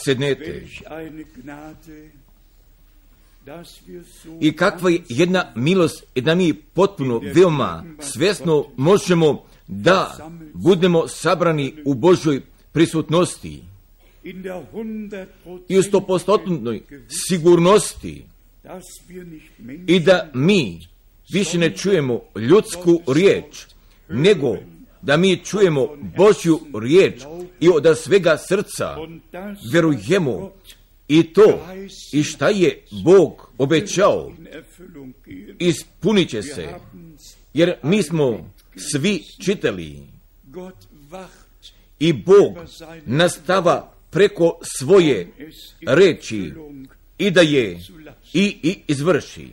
sednete. I kakva je jedna milost da mi potpuno, veoma svjesno možemo da budemo sabrani u Božoj prisutnosti i u 100% sigurnosti i da mi više ne čujemo ljudsku riječ, nego da mi čujemo Božju riječ i od svega srca verujemo i to i šta je Bog obećao ispunit će se, jer mi smo svi čitali i Bog nastava preko svoje reči i da je i izvrši.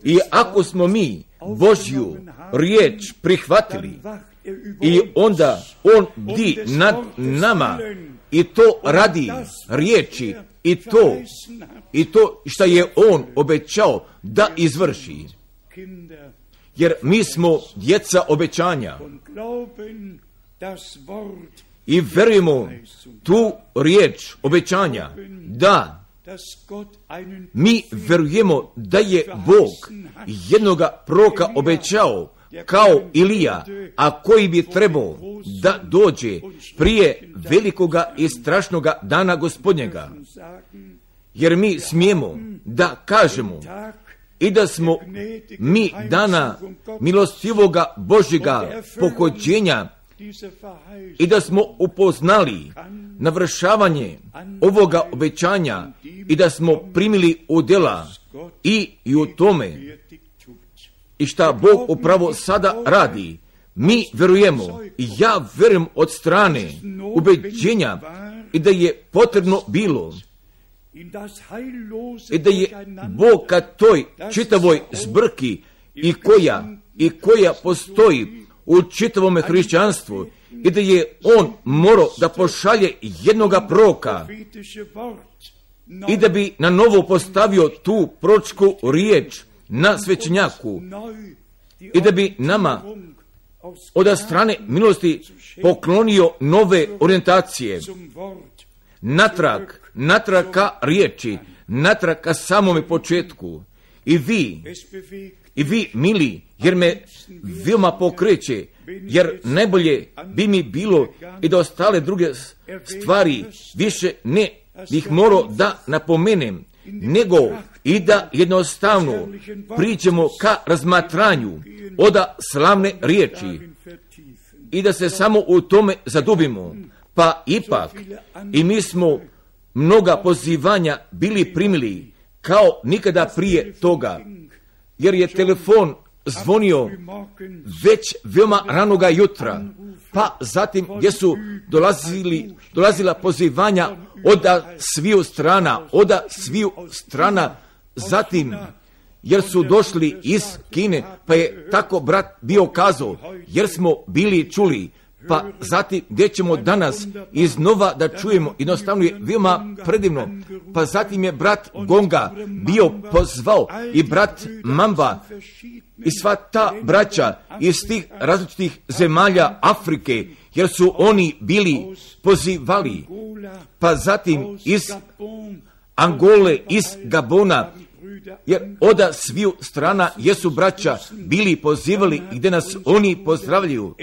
I ako smo mi Božju riječ prihvatili i onda On bdi nad nama i to radi riječi i to što je On obećao da izvrši. Jer mi smo djeca obećanja i verujemo tu riječ obećanja, da mi verujemo da je Bog jednoga proroka obećao kao Ilija, a koji bi trebao da dođe prije velikoga i strašnoga dana Gospodnjega. Jer mi smijemo da kažemo i da smo mi dana milostivoga Božjega pohođenja i da smo upoznali navršavanje ovoga obećanja i da smo primili u djela i u tome i šta Bog upravo sada radi. Mi verujemo i ja verujem od strane ubeđenja i da je potrebno bilo i da je Bog ka toj čitavoj zbrki i koja postoji u čitavom hrišćanstvu i da je On morao da pošalje jednoga proroka i da bi na novo postavio tu proročku riječ na svećenjaku i da bi nama od strane milosti poklonio nove orijentacije, natrag ka riječi, natrag ka samome početku. I vi, mili, jer me veoma pokreće, jer najbolje bi mi bilo i da ostale druge stvari više ne bih morao da napomenem, nego i da jednostavno priđemo ka razmatranju oda slavne riječi i da se samo u tome zadubimo. Pa ipak i mi smo mnoga pozivanja bili primili kao nikada prije toga, jer je telefon zvonio već veoma ranoga jutra, pa zatim gdje su dolazila pozivanja od sviju strana, zatim jer su došli iz Kine, pa je tako brat bio kazao, jer smo bili čuli, pa zatim gdje ćemo danas iznova da čujemo, jednostavno je veoma predivno, pa zatim je brat Gonga bio pozvao i brat Mamba i sva ta braća iz tih različitih zemalja Afrike, jer su oni bili pozivali, pa zatim iz Angole, iz Gabona, jer od sviju strana jesu braća bili pozivali gdje nas oni pozdravljaju.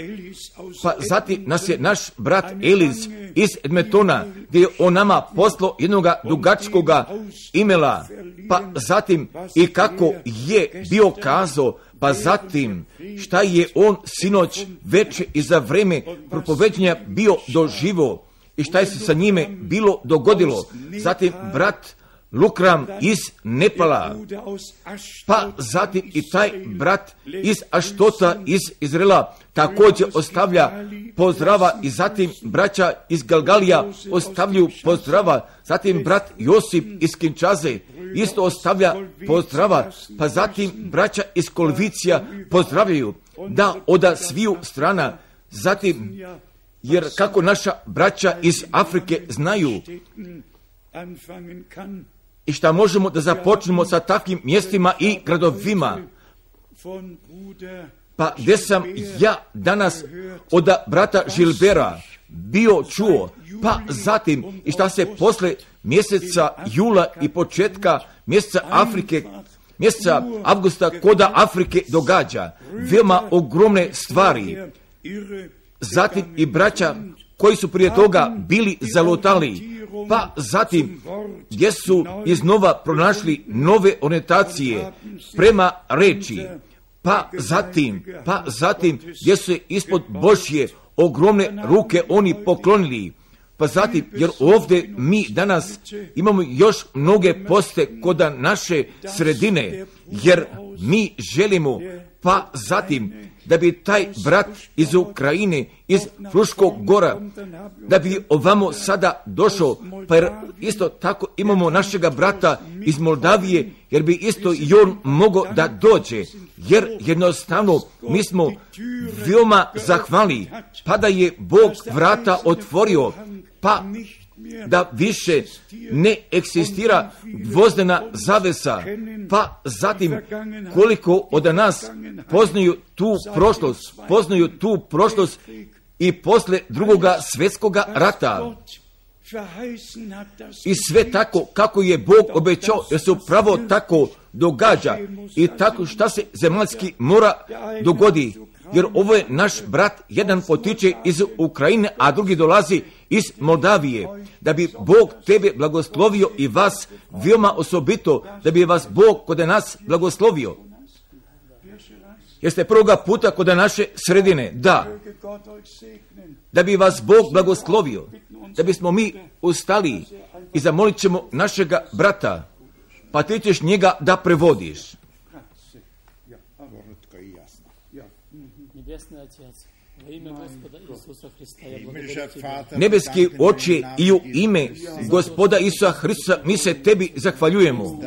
Pa zatim nas je naš brat Eliz iz Edmontona, gdje je on nama poslao jednoga dugačkoga imela, pa zatim i kako je bio kazao, pa zatim šta je on sinoć večer i za vreme propoveđenja bio doživo i šta je se sa njime bilo dogodilo. Zatim brat Lukram iz Nepala, pa zatim i taj brat iz Aštota iz Izraela također ostavlja pozdrava i zatim braća iz Galgalija ostavljaju pozdrava, zatim brat Josip iz Kinčaze isto ostavlja pozdrava, pa zatim braća iz Kolvicija pozdravljaju, da od sviju strana, zatim jer kako naša braća iz Afrike znaju i šta možemo da započnemo sa takvim mjestima i gradovima. Pa gdje sam ja danas od brata Žilbera bio čuo, pa zatim i šta se posle mjeseca jula i početka mjeseca Afrike, mjeseca avgusta koda Afrike događa. Veoma ogromne stvari. Zatim i braća koji su prije toga bili zalutali, pa zatim gdje su iznova pronašli nove orijentacije prema reči, pa zatim gdje su se ispod Božje ogromne ruke oni poklonili, pa zatim, jer ovdje mi danas imamo još mnoge poste kod naše sredine, jer mi želimo, pa zatim, da bi taj brat iz Ukrajine, iz Fruškog gora, da bi ovamo sada došao, pa jer isto tako imamo našega brata iz Moldavije, jer bi isto i on mogao da dođe, jer jednostavno mi smo veoma zahvalni, pa da je Bog vrata otvorio, pa da više ne eksistira dvozdana zavesa, pa zatim koliko od nas poznaju tu prošlost i posle drugoga svjetskoga rata. I sve tako kako je Bog obećao, jer se upravo tako događa i tako šta se zemaljski mora dogodi. Jer ovo je naš brat, jedan potiče iz Ukrajine, a drugi dolazi iz Moldavije. Da bi Bog tebe blagoslovio i vas veoma osobito, da bi vas Bog kod nas blagoslovio. Jeste prvoga puta kod naše sredine? Da. Da bi vas Bog blagoslovio, da bismo mi ustali i zamolit ćemo našega brata, pa ti ćeš njega da prevodiš. Nebeski Oče, i u ime Gospoda Isusa Hristusa mi se tebi zahvaljujemo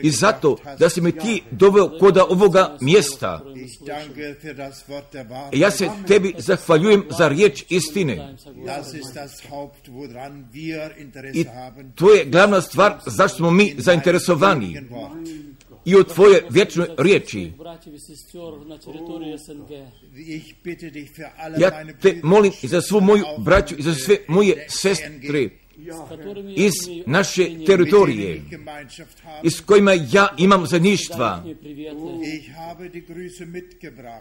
i zato da si me ti doveo kod ovoga mjesta. Ja se tebi zahvaljujem za riječ istine. I to je glavna stvar zašto smo mi zainteresovani i o tvoje vječnoj riječi. Ja te molim i za svu moju braću i za sve moje sestre iz naše teritorije, iz kojima ja imam zajedništva,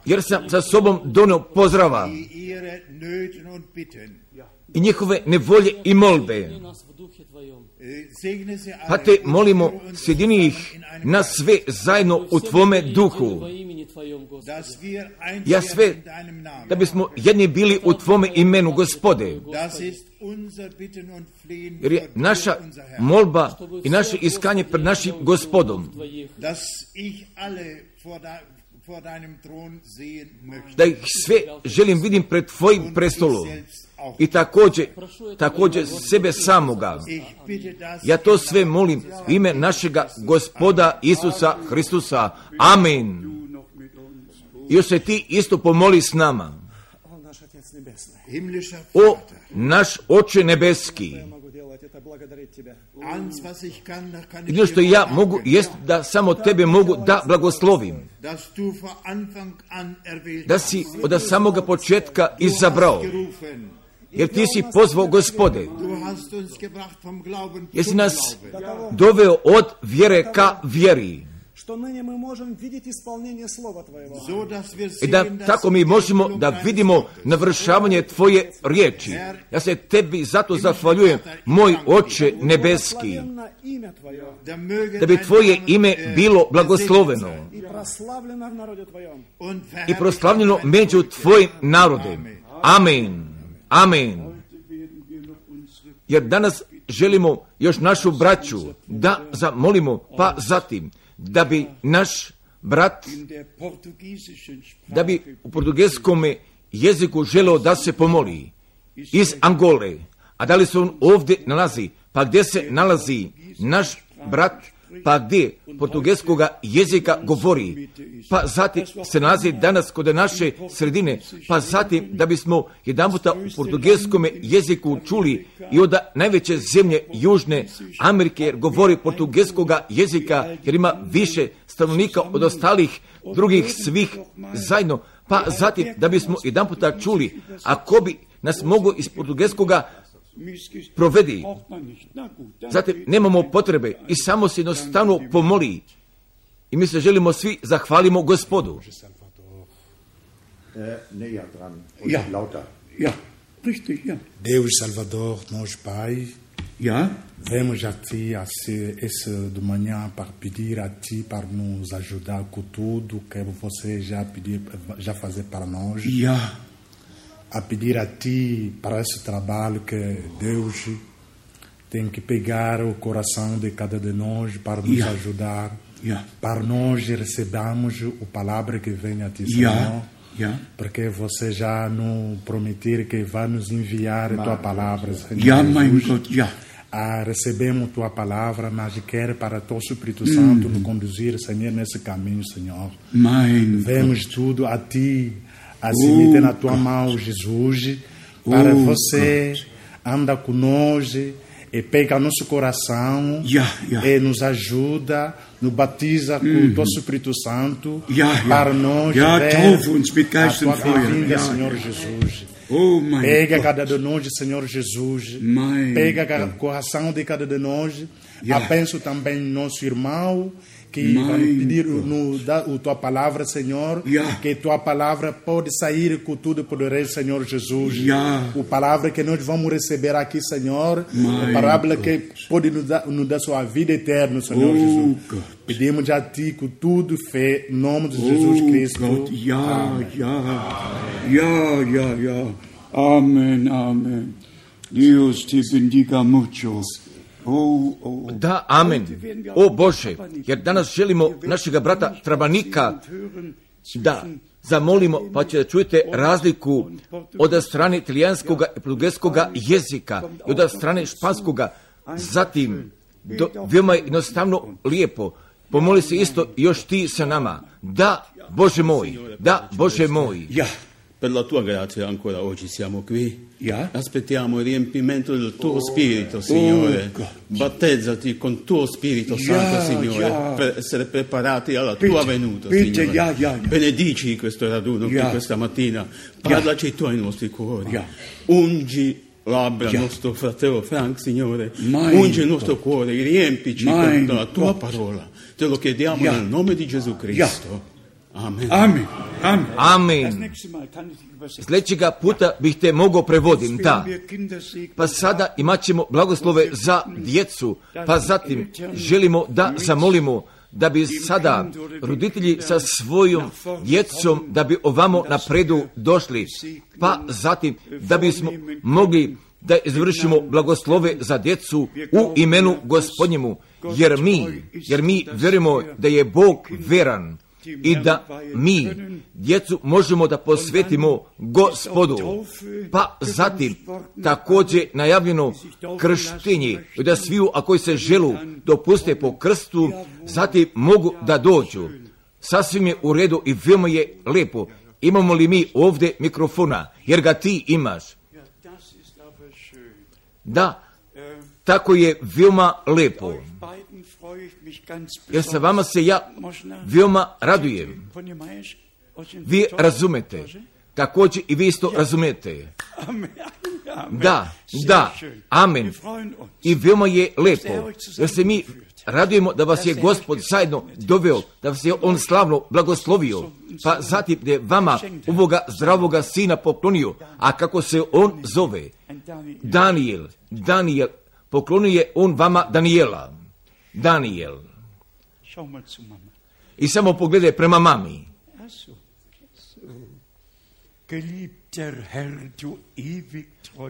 jer sam za sobom donio pozdrava i njihove nevolje i molbe. Pa te molimo, sjedini ih na sve zajedno u tvome duhu. Ja sve, da bismo jedni bili u tvome imenu, Gospode. Jer je naša molba i naše iskanje pred našim Gospodom, da ih sve želim vidim pred tvojim prestolom. I također sebe samoga. Ja to sve molim u ime našega Gospoda Isusa Hristusa. Amen. I još se ti isto pomoli s nama. O naš Oče nebeski, jedino što ja mogu jest da samo tebe mogu da blagoslovim, da si od samoga početka izabrao, jer ti si pozvao, Gospode, jer si nas doveo od vjere ka vjeri. I da tako mi možemo da vidimo navršavanje tvoje riječi. Ja se tebi zato zahvaljujem, moj Oče nebeski, da bi tvoje ime bilo blagosloveno i proslavljeno među tvojim narodom. Amen. Amen. Jer danas želimo još našu braću da zamolimo, pa zatim da bi naš brat, da bi u portugeskom jeziku želeo da se pomoli iz Angole. A da li se on ovdje nalazi? Pa gdje se nalazi naš brat? Pa gdje portugeskoga jezika govori? Pa zatim se nalazi danas kod naše sredine. Pa zatim da bismo jedan puta u portugeskom jeziku čuli i od najveće zemlje Južne Amerike, jer govori portugeskoga jezika, jer ima više stanovnika od ostalih drugih svih zajedno. pa zatim da bismo jedan puta čuli, ako bi nas mogo iz portugalskoga provedi. Zatim nemamo potrebe i samo se jednostavno pomoli. I mi se želimo svi zahvalimo Gospodu. Deus Salvador, nosso Pai, vemos a Ti esse de manhã para pedir a Ti para nos ajudar com tudo que você já fazer para nós. A pedir a Ti para esse trabalho que Deus tem que pegar o coração de cada de nós para nos ajudar, para nós recebermos a palavra que vem a Ti, Senhor. Porque você já nos prometeu que vai nos enviar a Tua palavra, Senhor Jesus. Recebemos Tua palavra, mas quer para Teu Espírito Santo nos conduzir, Senhor, nesse caminho, Senhor. Vemos tudo a Ti, assim meter na Tua mão, Jesus, para você andar conosco e pega nosso coração e nos ajuda, nos batiza com o Teu Espírito Santo para nós ver a Tua vinda, Senhor Jesus. Pega cada de nós, Senhor Jesus. Pega o coração de cada de nós. Abençoa também nosso irmão que vai pedir a Tua palavra, Senhor, que Tua palavra pode sair com tudo poderoso, Senhor Jesus. A palavra que nós vamos receber aqui, Senhor, a palavra que pode nos dar sua vida eterna, Senhor Jesus. Pedimos a Ti com tudo fé, em nome de Jesus Cristo. Amém. Deus te bendiga mucho. Da, amen. O Bože, jer danas želimo našega brata Trabanika da zamolimo, pa će da čujete razliku od strane italijanskog i portugalskog jezika i od strane španskog. Zatim, veoma je jednostavno lijepo. Pomoli se isto još ti sa nama. Da, Bože moj, da, Bože moj. Per la tua grazia ancora oggi siamo qui. Aspettiamo il riempimento del tuo spirito, Signore. Battezzati con tuo Spirito Santo, Signore, per essere preparati alla tua venuta, Signore. Benedici questo raduno qui questa mattina. Parlaci tu ai nostri cuori. Ungi labbra nostro fratello Frank, Signore. Ungi il nostro cuore, riempici con la tua parola. Te lo chiediamo nel nome di Gesù Cristo. Amen. Sljedećega puta bih te mogao prevodim, da. Pa sada imat ćemo blagoslove za djecu, pa zatim želimo da zamolimo da bi sada roditelji sa svojom djecom da bi ovamo napredu došli, pa zatim da bismo mogli da izvršimo blagoslove za djecu u imenu Gospodnjemu, jer mi vjerujemo da je Bog veran i da mi djecu možemo da posvetimo Gospodu. Pa zatim također najavljeno krštenje i da sviju a koji se želu dopuste po krstu, zatim mogu da dođu. Sasvim je u redu i veoma je lijepo. Imamo li mi ovdje mikrofona, jer ga ti imaš? Da, tako je veoma lijepo. Jer sa vama se ja veoma radujem. Vi razumete. Također i vi isto razumete. Da, amen. I veoma je lijepo. Jer se mi radujemo da vas je Gospod zajedno doveo, da vas je On slavno blagoslovio. Pa zatim da je vama ovoga zdravoga sina poklonio. A kako se on zove? Daniel. Poklonio je on vama Daniela. Daniel. I samo pogledaj prema mami.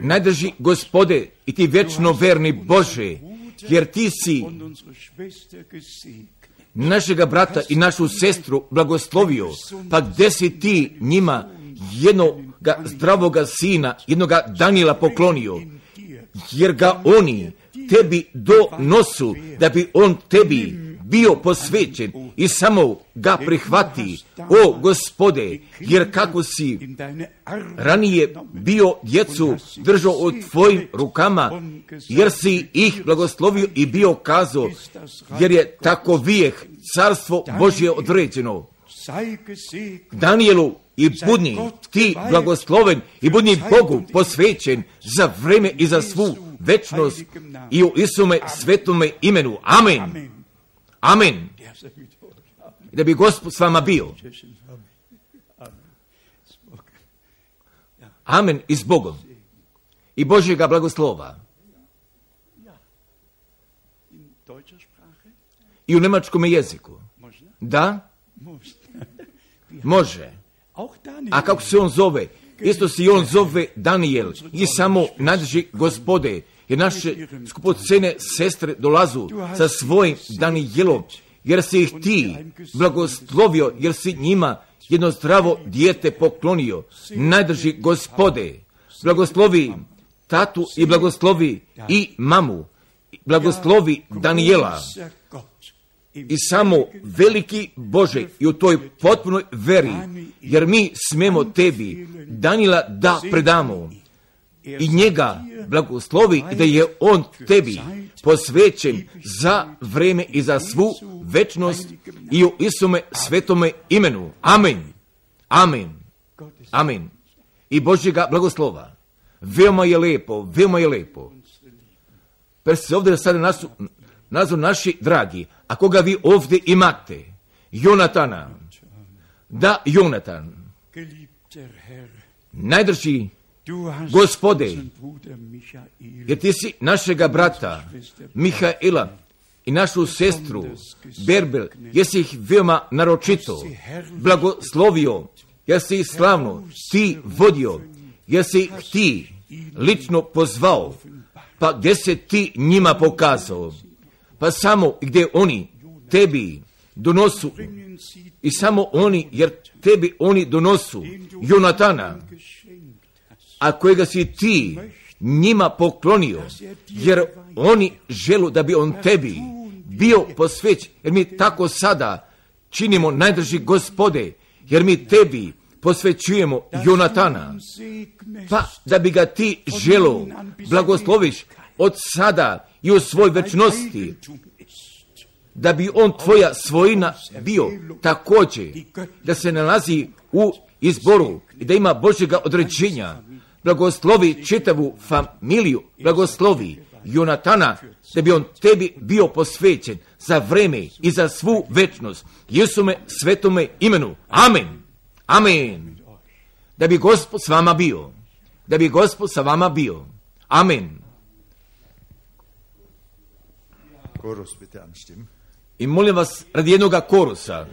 Najdrži Gospode i ti vječno verni Bože, jer ti si našega brata i našu sestru blagoslovio, pa gdje si ti njima jednoga zdravoga sina, jednoga Daniela poklonio, jer ga oni tebi donosu, da bi on tebi bio posvećen i samo ga prihvati, o Gospode, jer kako si ranije bio djecu držao u tvojim rukama, jer si ih blagoslovio i bio kazao, jer je tako vijek carstvo Božje određeno. Danijelu i budni ti blagosloven i budni Bogu posvećen za vreme i za svu večnost i u Isume svetome imenu. Amen. Amen. Da bi Gospod s vama bio. Amen i s Bogom. I Božjega blagoslova. I u njemačkom jeziku. Da? Može. A kako se on zove? Isto se i on zove Danijel. I samo nađi Gospode. Jer naše skupocene sestre dolazu sa svojim Danijelom. Jer si ih ti blagoslovio. Jer si njima jedno zdravo dijete poklonio. Najdrži Gospode. Blagoslovi tatu i blagoslovi i mamu. Blagoslovi Danijela. I samo veliki Bože i u toj potpunoj veri, jer mi smemo tebi Danijela da predamo i njega blagoslovi i da je on tebi posvećen za vreme i za svu večnost i u Isume svetome imenu. Amen. Amen. Amen. I Božjega blagoslova. Veoma je lepo, veoma je lepo. Pa se ovdje sada nazu naši dragi, a koga vi ovdje imate? Jonatana. Da, Jonatan. Najdrži Gospode, jer ti si našega brata Mihaela i našu sestru Berbel, jesi ih veoma naročito blagoslovio, jer si ih slavno ti vodio, jer si ih ti lično pozvao, pa gdje se ti njima pokazao, pa samo gdje oni tebi donosu, i samo oni, jer tebi oni donosu Jonatana, a kojega si ti njima poklonio, jer oni želu da bi on tebi bio posvećen, jer mi tako sada činimo, najdrži Gospode, jer mi tebi posvećujemo Jonatana, pa da bi ga ti želo blagosloviš od sada i u svoj večnosti, da bi on tvoja svojina bio također, da se nalazi u izboru i da ima Božjega određenja. Blagoslovi čitavu familiju, blagoslovi Jonatana, da bi on tebi bio posvećen za vreme i za svu večnost. Isume svetome imenu. Amen. Amen. Da bi Gospod s vama bio. Da bi Gospod sa vama bio. Amen. I molim vas radi jednoga korusa.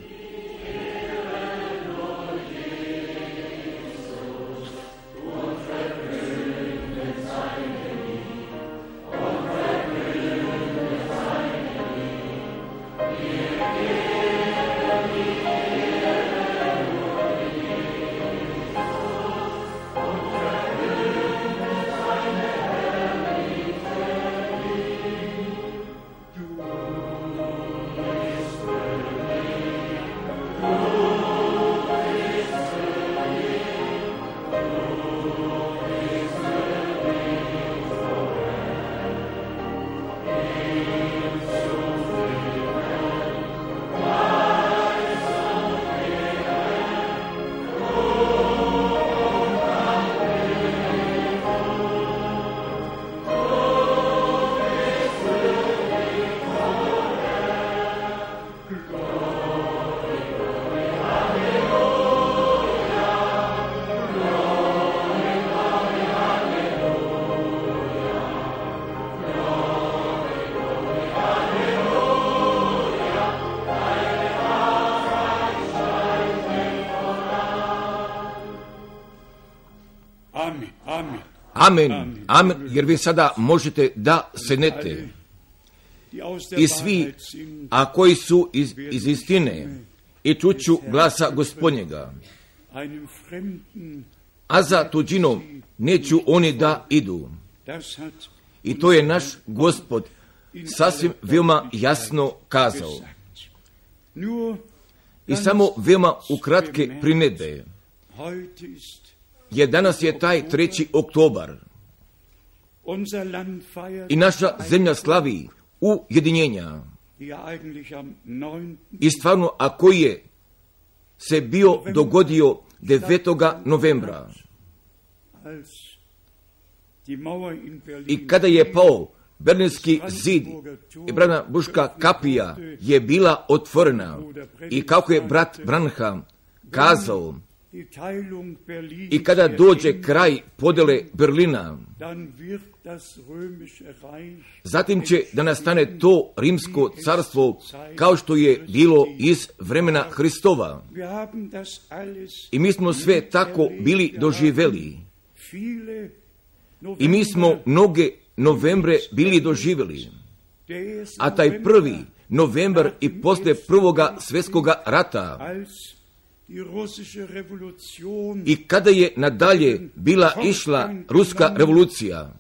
Amen, amen, jer vi sada možete da sednete. I svi, a koji su iz istine, i čuću glasa Gospodnjega, a za tuđinom neću oni da idu. I to je naš Gospod sasvim veoma jasno kazao. I samo veoma ukratke primjedbe. Jer danas je taj 3. oktobar i naša zemlja slavi ujedinjenja. I stvarno, a koji je se bio dogodio 9. novembra. I kada je pao Berlinski zid i Brandenburška kapija je bila otvorena i kako je brat Branham kazao, i kada dođe kraj podjele Berlina, zatim će da nastane to rimsko carstvo kao što je bilo iz vremena Hristova. I mi smo sve tako bili doživjeli. I mi smo mnoge novembre bili doživjeli. A taj 1. novembar i poslije Prvoga svjetskoga rata i kada je nadalje bila išla ruska revolucija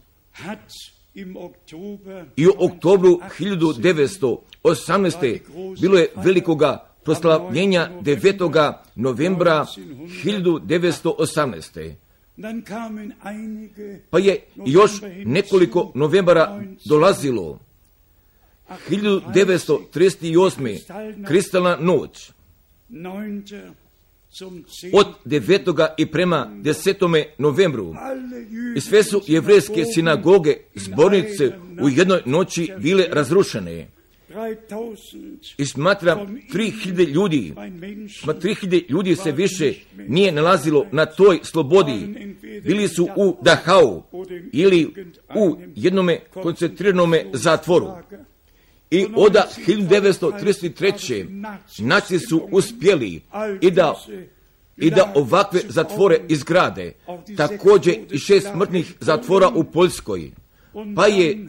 i u oktobru 1918. bilo je velikoga proslavljenja 9. novembra 1918. Pa je još nekoliko novembara dolazilo. 1938. kristalna noć. Od 9. i prema 10. novembru i sve su jevrejske sinagoge, zbornice u jednoj noći bile razrušene. I smatram 3000 ljudi, 3000 ljudi se više nije nalazilo na toj slobodi. Bili su u Dachau ili u jednome koncentriranome zatvoru. I od 1933. naci su uspjeli i da ovakve zatvore izgrade. Također i 6 smrtnih zatvora u Poljskoj. Pa je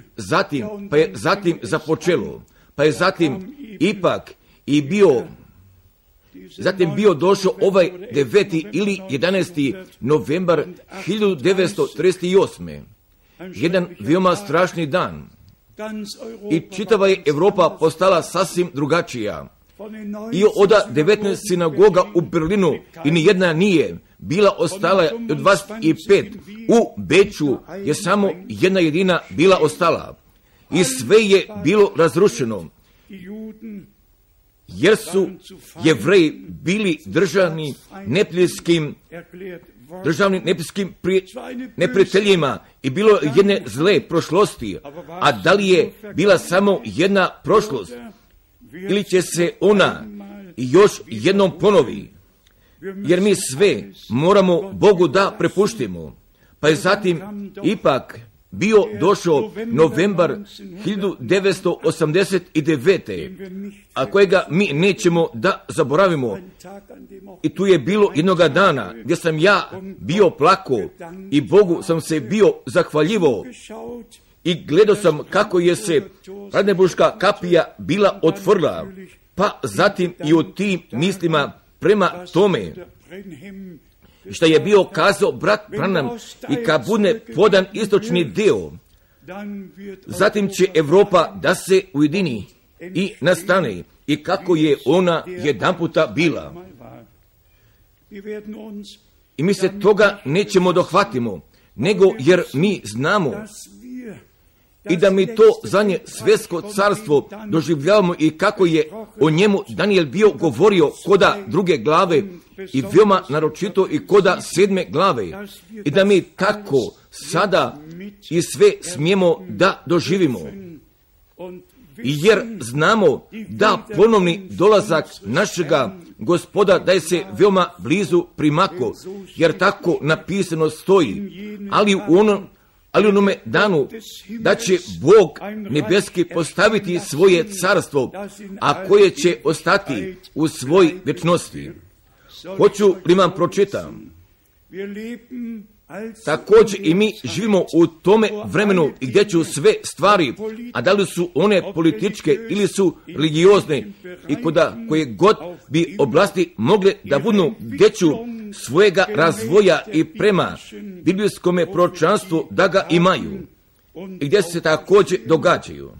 zatim započelo. Pa je zatim ipak i bio došao ovaj 9. ili 11. novembar 1938. Jedan veoma strašni dan. I čitava je Europa postala sasvim drugačija. I od 19 sinagoga u Berlinu i nijedna nije bila ostala od 25. U Beču je samo jedna jedina bila ostala. I sve je bilo razrušeno. Jer su Jevreji bili državni neprijateljskim neprijateljima i bilo jedne zle prošlosti. A da li je bila samo jedna prošlost ili će se ona još jednom ponovi? Jer mi sve moramo Bogu da prepuštimo. Pa je zatim ipak bio došao novembar 1989. a kojega mi nećemo da zaboravimo. I tu je bilo jednoga dana gdje sam ja bio plako i Bogu sam se bio zahvaljivao i gledao sam kako je se Brandenburška kapija bila otvorila, pa zatim i o tim mislima prema tome što je bio kazao brat Branham i kad bude podan istočni dio, zatim će Europa da se ujedini i nastane i kako je ona jedanputa bila. I mi se toga nećemo dohvatimo, nego jer mi znamo i da mi to zadnje svjetsko carstvo doživljavamo i kako je o njemu Daniel bio govorio koda 2. glave i veoma naročito i koda 7. glave i da mi tako sada i sve smijemo da doživimo. Jer znamo da ponovni dolazak našega Gospoda da je se veoma blizu primako, jer tako napisano stoji, ali u onome danu da će Bog nebeski postaviti svoje carstvo, a koje će ostati u svoj vječnosti. Hoću li vam pročitam? Također i mi živimo u tome vremenu gdje će sve stvari, a da li su one političke ili su religiozne i koje god bi oblasti mogle da budu gdje ću svojega razvoja i prema biblijskome proročanstvu da ga imaju i gdje se također događaju.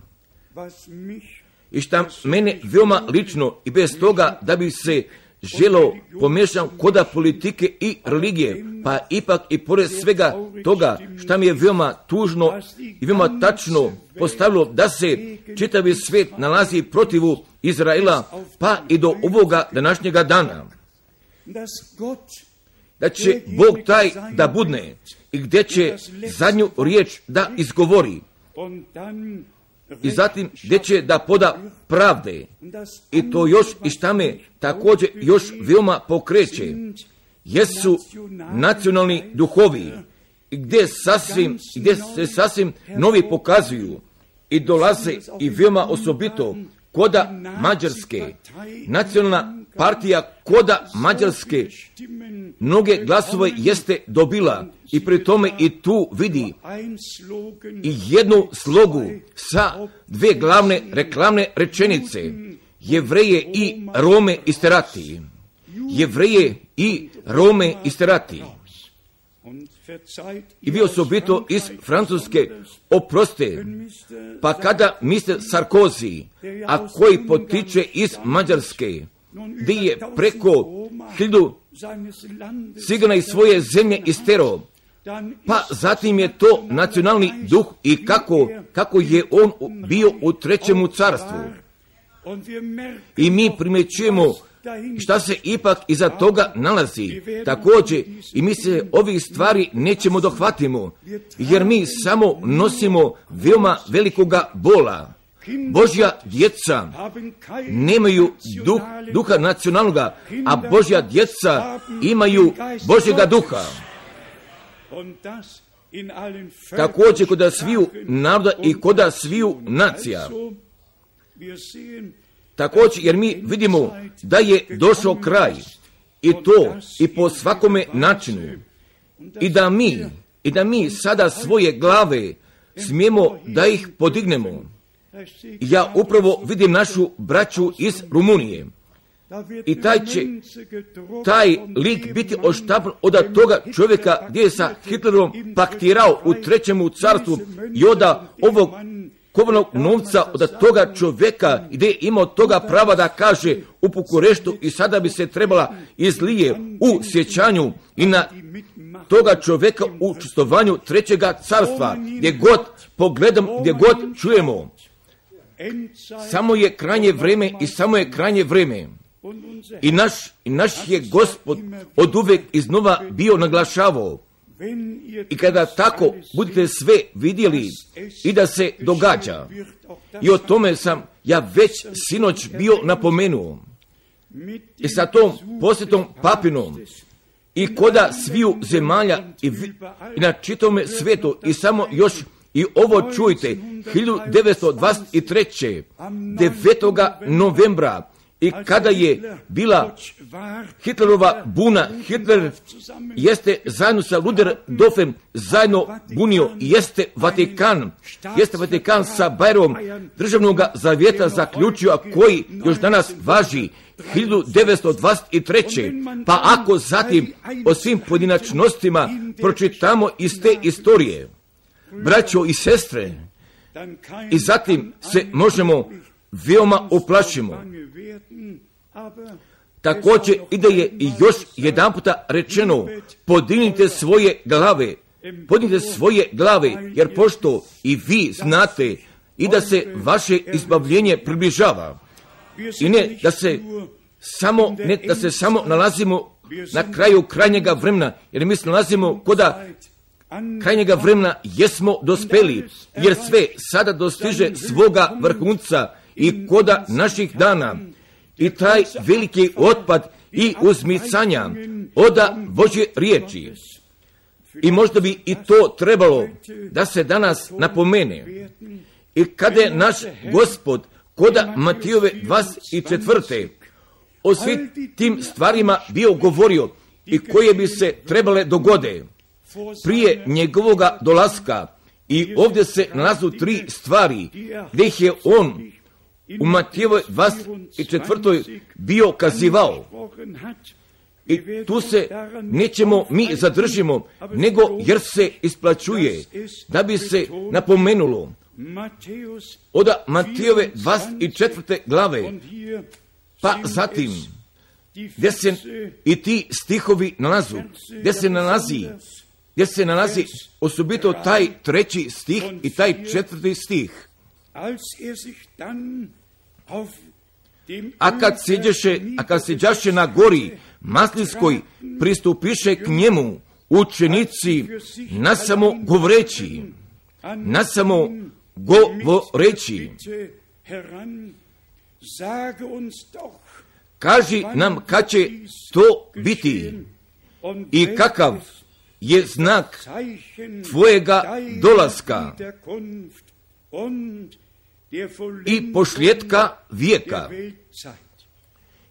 I šta mene veoma lično i bez toga da bi se želo pomiješam koda politike i religije, pa ipak i pored svega toga šta mi je veoma tužno i veoma tačno postavilo da se čitavi svijet nalazi protivu Izraela, pa i do ovoga današnjega dana. da će Bog taj da budne i gdje će zadnju riječ da izgovori i zatim gdje će da poda pravde. I to još i šta me također još veoma pokreće, jesu nacionalni duhovi gdje se sasvim novi pokazuju i dolaze i veoma osobito koda Mađarske, nacionalna partija koda Mađarske mnoge glasove jeste dobila i pri tome i tu vidi i jednu slogu sa dve glavne reklamne rečenice: Jevreje i Rome isterati. Jevreje i Rome isterati. I vi osobito iz Francuske oproste, pa kada Mr. Sarkozy, a koji potiče iz Mađarske, gdje je preko 1000 cigana iz svoje zemlje istero, pa zatim je to nacionalni duh i kako je on bio u trećemu carstvu. I mi primjećujemo šta se ipak iza toga nalazi. Također i mi se ovih stvari nećemo dohvatimo, jer mi samo nosimo veoma velikoga bola. Božja djeca nemaju duha nacionalnoga, a Božja djeca imaju Božjega duha. Također kod sviju naroda i kod sviju nacija. Također jer mi vidimo da je došao kraj i to i po svakome načinu i da mi sada svoje glave smijemo da ih podignemo. Ja upravo vidim našu braću iz Rumunije i taj lik biti oštapan od toga čovjeka gdje je sa Hitlerom paktirao u trećemu carstvu i od ovog kovanog novca od toga čovjeka gdje je imao toga prava da kaže u Bukureštu i sada bi se trebala izlije u sjećanju i na toga čovjeka u učestvovanju trećega carstva, gdje god pogledam, gdje god čujemo. Samo je krajnje vrijeme i samo je krajnje vrijeme. I naš je Gospod od uvijek iznova bio naglašavao. I kada tako budete sve vidjeli i da se događa, i o tome sam ja već sinoć bio napomenuo, i sa tom posjetom papinom, i koda sviju zemalja i na čitome svijetu, i samo još i ovo čujte, 1923. 9. novembra, i kada je bila Hitlerova buna, Hitler jeste zajedno sa Ludendorffom zajedno bunio i jeste Vatikan sa Bajerom državnog zavjeta zaključio, a koji još danas važi 1923. Pa ako zatim o svim pojedinačnostima pročitamo iz te istorije, braćo i sestre, i zatim se možemo veoma uplašimo. Također i da je i još jedan puta rečeno, podignite svoje glave, jer pošto i vi znate i da se vaše izbavljenje približava. I ne da se samo nalazimo na kraju krajnjega vremena, jer mi se nalazimo koda krajnjega vremena jesmo dospeli, jer sve sada dostiže svoga vrhunca i koda naših dana. I taj veliki otpad i uzmicanja oda Božje riječi. I možda bi i to trebalo da se danas napomene. I kada je naš Gospod koda Matijove 24. o svim tim stvarima bio govorio i koje bi se trebale dogode prije njegovoga dolaska. I ovdje se nalazu 3 stvari gdje ih je on u Matijevoj 24. bio kazivao. I tu se nećemo mi zadržimo, nego jer se isplaćuje da bi se napomenulo od Matijeve 24. glave, pa zatim gdje se i ti stihovi nalazu, gdje se nalazi osobito taj 3. stih i taj 4. stih. a kad sjeđaše na gori Maslinskoj, pristupiše k njemu učenici nasamo govoreći, kaži nam kad će to biti i kakav je znak tvojega dolaska i pošljetka vijeka.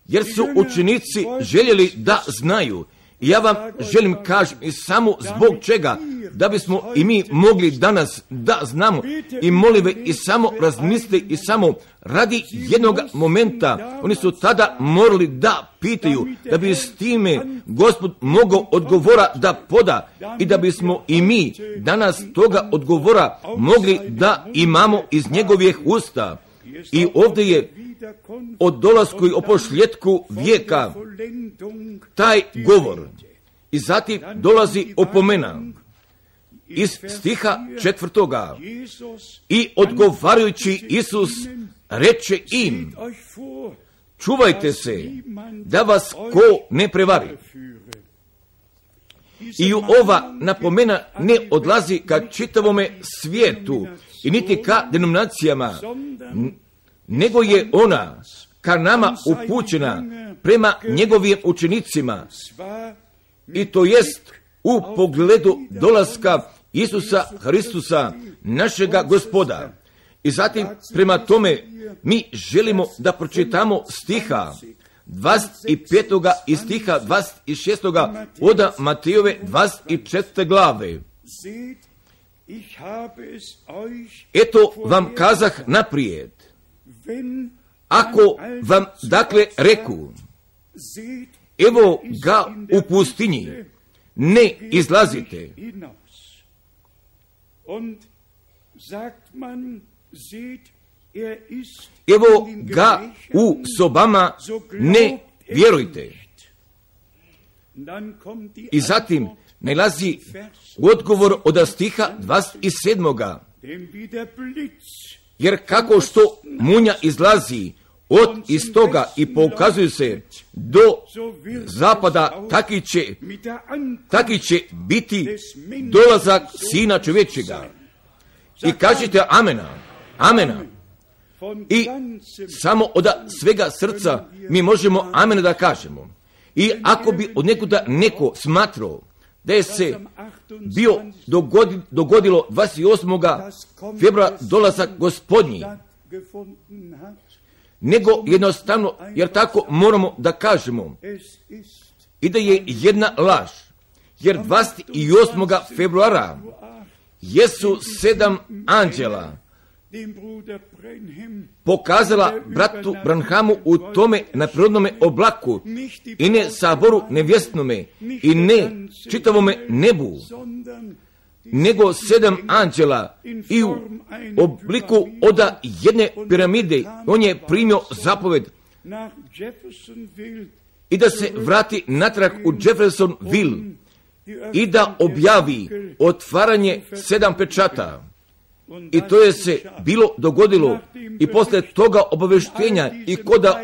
Jer su učenici željeli da znaju. I ja vam želim kažem i samo zbog čega, da bismo i mi mogli danas da znamo i molive i samo razmislite i samo radi jednog momenta. Oni su tada morali da pitaju, da bi s time Gospod mogao odgovora da poda i da bismo i mi danas toga odgovora mogli da imamo iz njegovih usta. I ovdje je o dolasku i o pošljetku vijeka taj govor. I zatim dolazi opomena iz stiha 4. I odgovarajući Isus reče im, čuvajte se da vas ko ne prevari. I ova napomena ne odlazi ka čitavome svijetu i niti ka denominacijama, nego je ona ka nama upućena prema njegovim učenicima, i to jest u pogledu dolaska Isusa Hristusa, našega Gospoda. I zatim prema tome mi želimo da pročitamo stiha 25. i stiha 26. od Matejove 24. glave. Eto vam kazah naprijed, ako vam dakle reku, evo ga u pustinji, ne izlazite. Evo ga u sobama, ne vjerujte. I zatim nalazi odgovor od stiha 27. Jer kako što munja izlazi od istoga i pokazuje se do zapada, taki će biti dolazak Sina čovječega. I kažete amena, amena. I samo od svega srca mi možemo amena da kažemo. I ako bi od nekuda neko smatrao da je se bio dogodilo 28. februara dolazak Gospodnji, nego jednostavno, jer tako moramo da kažemo, i da je jedna laž, jer 28. februara jesu 7 anđela pokazala bratu Branhamu u tome na prirodnome oblaku i ne saboru nevjestnome i ne čitavome nebu, nego 7 anđela i u obliku od jedne piramide. On je primio zapoved i da se vrati natrag u Jeffersonville i da objavi otvaranje 7 pečata. I to je se bilo dogodilo i posle toga obaveštenja i koda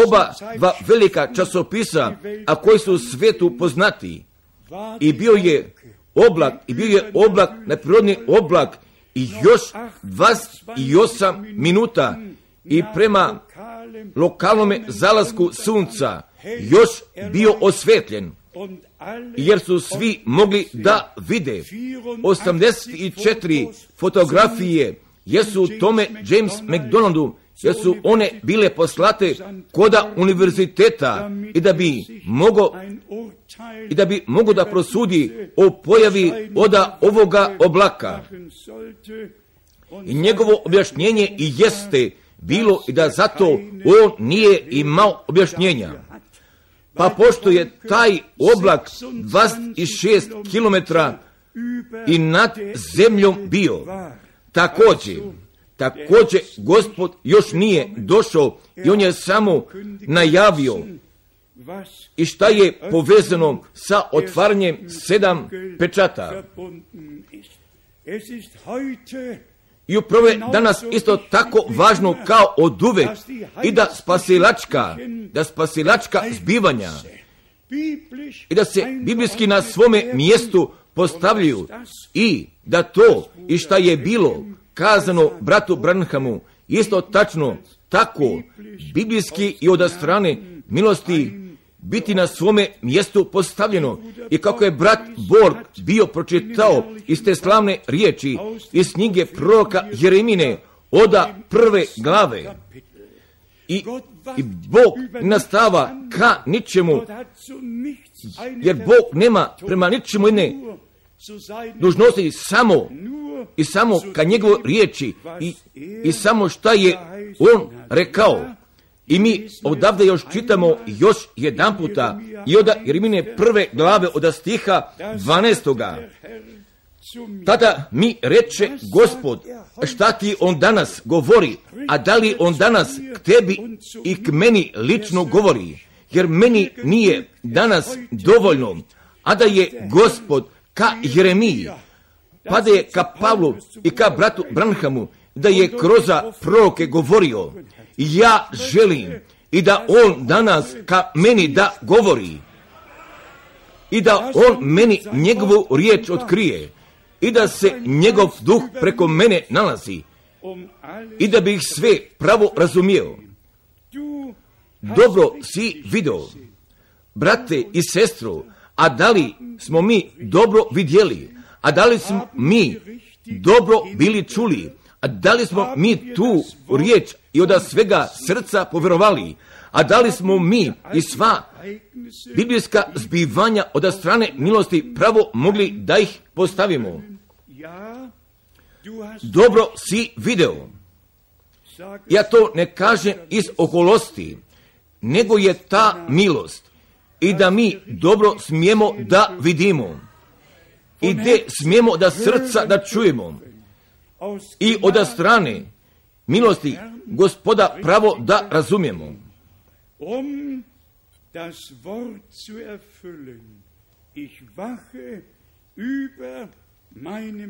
oba dva velika časopisa, a koji su u svijetu poznati, i bio je oblak, neprirodni oblak, i još 28 minuta i prema lokalnome zalasku sunca još bio osvetljen, jer su svi mogli da vide. 84 fotografije jesu u tome James McDonaldu, jer su one bile poslate koda univerziteta i da bi mogo da prosudi o pojavi od ovoga oblaka. I njegovo objašnjenje i jeste bilo i da zato on nije imao objašnjenja. Pa pošto je taj oblak 26 kilometra i nad zemljom bio, također Gospod još nije došao i on je samo najavio i šta je povezano sa otvaranjem 7 pečata. i upravo je danas isto tako važno kao oduvek i da spasilačka zbivanja i da se biblijski na svome mjestu postavljaju i da to i šta je bilo kazano bratu Branhamu isto tačno tako biblijski i od strane milosti biti na svome mjestu postavljeno. I kako je brat Borg bio pročitao iz te slavne riječi iz knjige proroka Jeremine od 1. glave i Bog nastava ka ničemu, jer Bog nema prema ničemu jedne dužnosti samo ka njegovoj riječi i samo šta je on rekao. I mi odavde još čitamo još jedan puta i od Jeremine 1. glave od stiha 12. Tada mi reče Gospod, šta ti on danas govori, a da li on danas k tebi i k meni lično govori, jer meni nije danas dovoljno, a da je Gospod ka Jeremiji, pa da je ka Pavlu i ka bratu Branhamu, da je kroz proroke govorio. Ja želim i da on danas ka meni da govori i da on meni njegovu riječ otkrije i da se njegov duh preko mene nalazi i da bih sve pravo razumio. Dobro si vidio, brate i sestru, a da li smo mi dobro vidjeli, a da li smo mi dobro bili čuli, a da li smo mi tu riječ i od svega srca povjerovali, a da li smo mi i sva biblijska zbivanja od strane milosti pravo mogli da ih postavimo. Dobro si video. Ja to ne kažem iz oholosti, nego je ta milost i da mi dobro smijemo da vidimo i gdje smijemo da srca da čujemo i od strane milosti Gospoda pravo da razumijemo.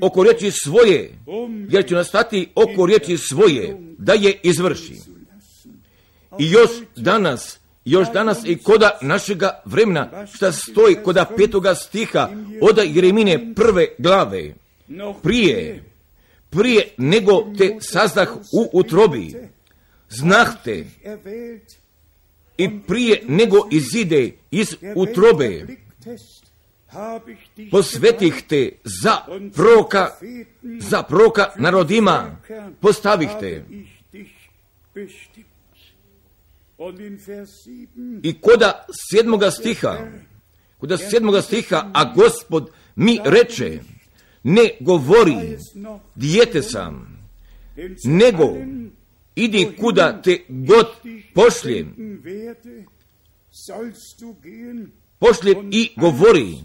Oko riječi svoje, jer ću nastati oko riječi svoje, da je izvrši. I još danas i koda našega vremena, šta stoji koda 5. stiha od Jeremine 1. glave, prije nego te sazdah u utrobi, znahte, i prije nego izide iz utrobe, posvetih te za proroka narodima, postavih te. I koda 7. stiha, a Gospod mi reče, ne govori, dijete sam, nego idi kuda te god pošljem i govori,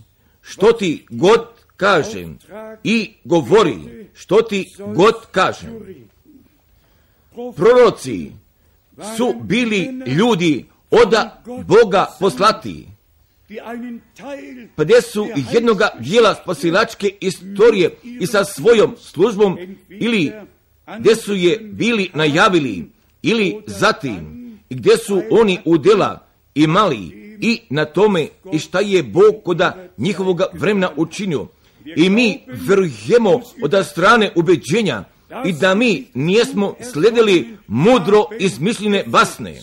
što ti god kažem, i govori, što ti god kažem. Proroci su bili ljudi od Boga poslati, pa gdje su jednoga dijela spasilačke istorije i sa svojom službom ili gdje su je bili najavili ili zatim i gdje su oni udjela imali i na tome i šta je Bog koda njihovog vremena učinio. I mi vjerujemo od strane ubeđenja i da mi nijesmo sledili mudro izmišljene basne,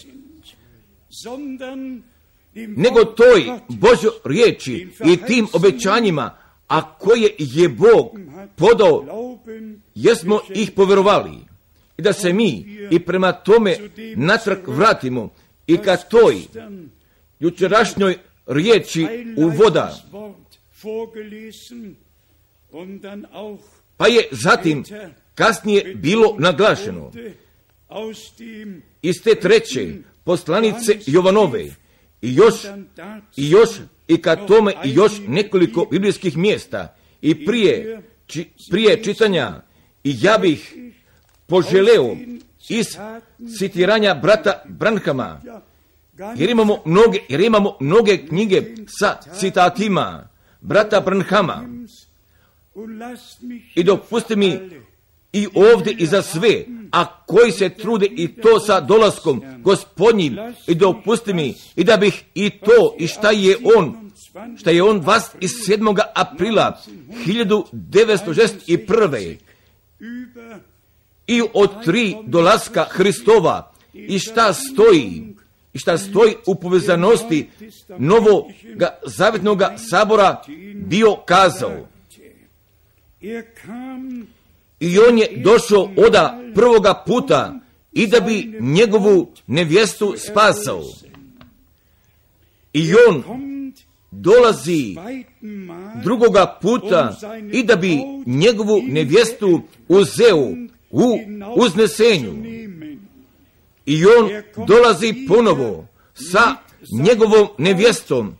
nego toj Božoj riječi i tim obećanjima, a koje je Bog podao, jesmo ih povjerovali. I da se mi i prema tome natrag vratimo i ka toj jučerašnjoj riječi uvoda. Pa je zatim kasnije bilo naglašeno iz te 3. poslanice Jovanove i još i ka tome i još nekoliko biblijskih mjesta i prije čitanja i ja bih poželeo iz citiranja brata Branhama, jer imamo mnoge knjige sa citatima brata Branhama. I dopusti mi i ovdje i za sve, a koji se trude i to sa dolaskom Gospodnjim, i dopusti mi i da bih i to i šta je on 27. aprila 1961. i od 3 dolaska Hristova i šta stoji u povezanosti Novoga Zavjetnoga sabora bio kazao. I on je došao oda prvoga puta i da bi njegovu nevjestu spasao. I on dolazi drugoga puta i da bi njegovu nevjestu uzeo u uznesenju. I on dolazi ponovo sa njegovom nevjestom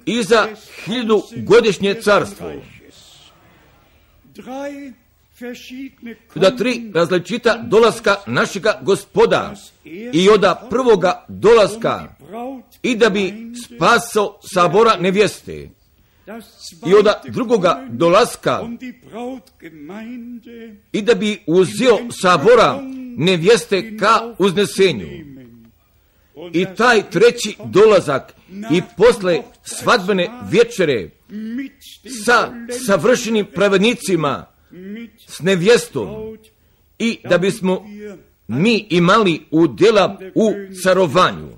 i za 1000-godišnje carstvo. Da 3 različita dolaska našega Gospoda i oda prvoga dolaska i da bi spasao sabora nevjeste i oda drugoga dolaska i da bi uzeo sabora nevjeste ka uznesenju. I taj 3. dolazak i posle svadbene večere sa savršenim pravednicima, s nevjestom, i da bismo mi imali udjela u carovanju.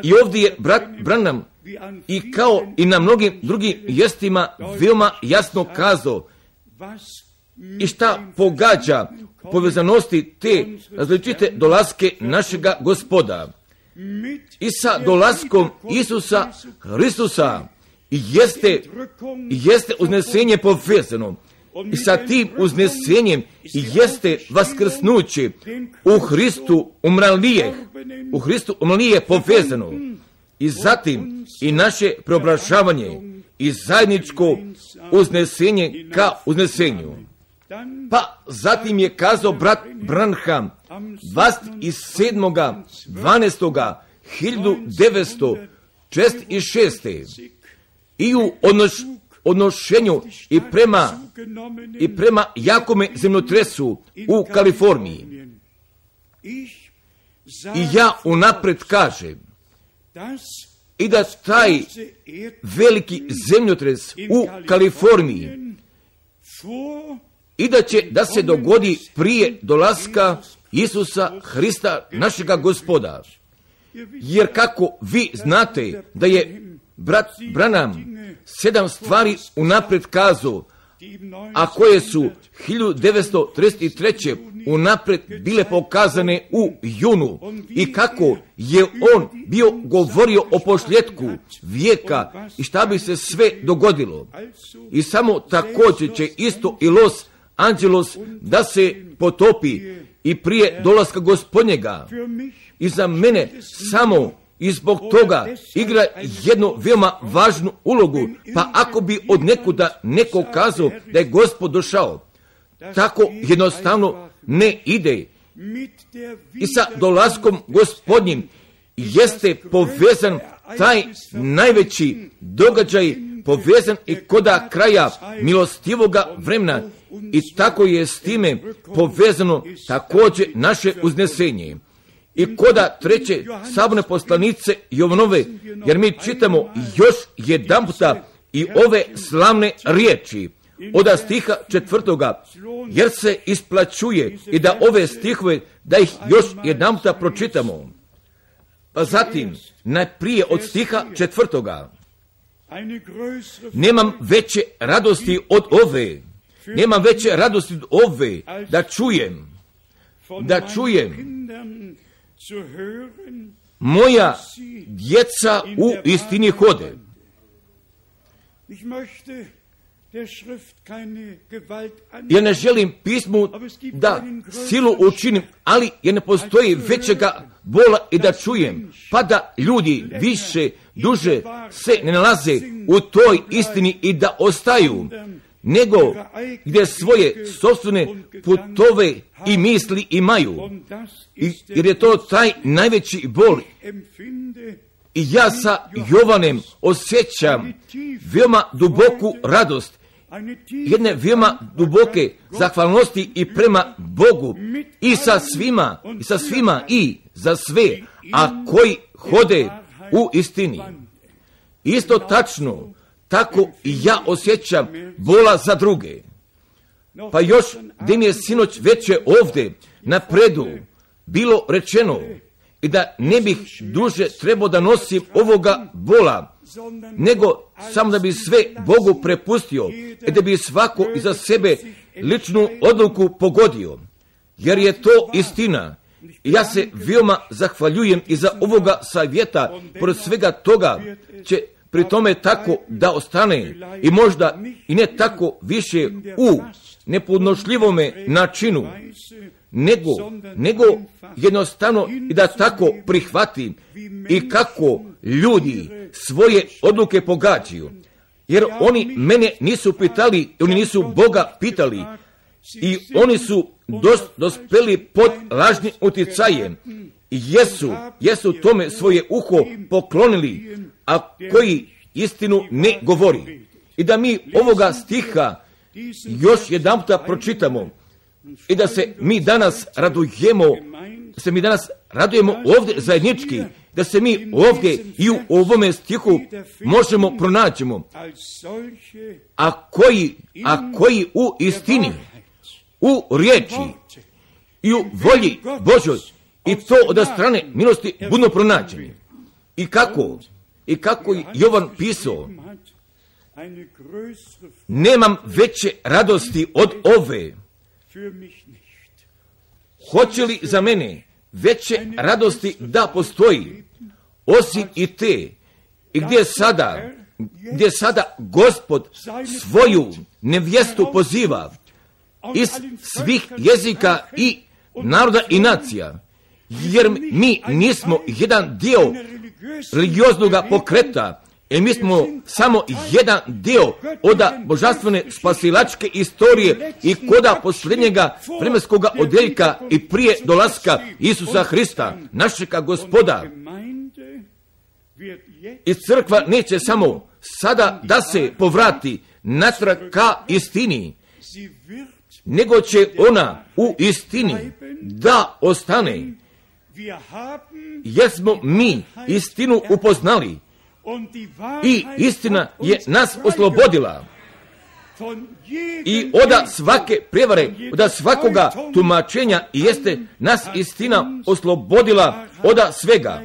I ovdje je brat Branham i kao i na mnogim drugim mjestima veoma jasno kazao i šta pogađa povezanosti te različite dolaske našega Gospoda i sa dolaskom Isusa Hristusa jeste uznesenje povezano i sa tim uznesenjem jeste vaskrsnuće u Hristu umrlije povezano i zatim i naše preobražavanje i zajedničko uznesenje ka uznesenju. Pa zatim je kazao brat Branham 27.12.1946. i u odnošenju i prema jakome zemljotresu u Kaliforniji. I ja unapred kažem i da taj veliki zemljotres u Kaliforniji i da se dogodi prije dolaska Isusa Hrista našega Gospoda. Jer kako vi znate da je brat Branham 7 stvari unapred kazao, a koje su 1933. unapred bile pokazane u junu, i kako je on bio govorio o posljetku vijeka i šta bi se sve dogodilo. I samo također će isto i Los Angeles da se potopi i prije dolaska Gospodnjega. I za mene samo i zbog toga igra jednu veoma važnu ulogu, pa ako bi od nekuda neko kazao da je Gospod došao, tako jednostavno ne ide. I sa dolaskom Gospodnjim jeste povezan taj najveći događaj, povezan i koda kraja milostivoga vremena, i tako je s time povezano također naše uznesenje. I koda 3. saborne poslanice Jovanove, jer mi čitamo još jedan puta i ove slavne riječi od stiha 4. jer se isplaćuje i da ove stihove, da ih još jedan puta pročitamo. Pa zatim, najprije od stiha 4. Nemam veće radosti od ove, da čujem moja djeca u istini hode. Ja ne želim pismu da silu učinim, ali ja ne postoji većega bola i da čujem, pa da ljudi više, duže se ne nalaze u toj istini i da ostaju, nego gdje svoje sopstvene putove i misli imaju. Jer je to taj najveći bol. I ja sa Jovanem osjećam veoma duboku radost, jedne veoma duboke zahvalnosti i prema Bogu i sa svima i za sve, a koji hode u istini. Isto tačno, tako i ja osjećam bola za druge. Pa još gdje mi je sinoć veće ovdje napredu bilo rečeno i da ne bih duže trebao da nosim ovoga bola, nego samo da bi sve Bogu prepustio i da bi svako iza sebe ličnu odluku pogodio. Jer je to istina. I ja se veoma zahvaljujem i za ovoga savjeta, pored svega toga će pri tome tako da ostane i možda i ne tako više u nepodnošljivome načinu, nego jednostavno i da tako prihvatim i kako ljudi svoje odluke pogađaju. Jer oni mene nisu pitali, oni nisu Boga pitali i oni su dospeli pod lažnim uticajem i jesu tome svoje uho poklonili, a koji istinu ne govori. I da mi ovoga stiha još jedanputa pročitamo i da se mi danas radujemo, ovdje zajednički, da se mi ovdje i u ovome stihu možemo pronaćemo, a koji u istini, u riječi i u volji Božoj i to od strane milosti budno pronađeni. I kako Jovan pisao, nemam veće radosti od ove. Hoće li za mene veće radosti da postoji, osim i te, i gdje sada Gospod svoju nevjestu poziva iz svih jezika i naroda i nacija, jer mi nismo jedan dio religioznog pokreta, mi smo samo jedan dio od božanstvene spasilačke istorije i koda posljednjega vremenskog odjeljka i prije dolaska Isusa Hrista, našega Gospoda. I crkva neće samo sada da se povrati natrag ka istini, nego će ona u istini da ostane, jer smo mi istinu upoznali i istina je nas oslobodila i od svake prevare, od svakoga tumačenja jeste nas istina oslobodila od svega.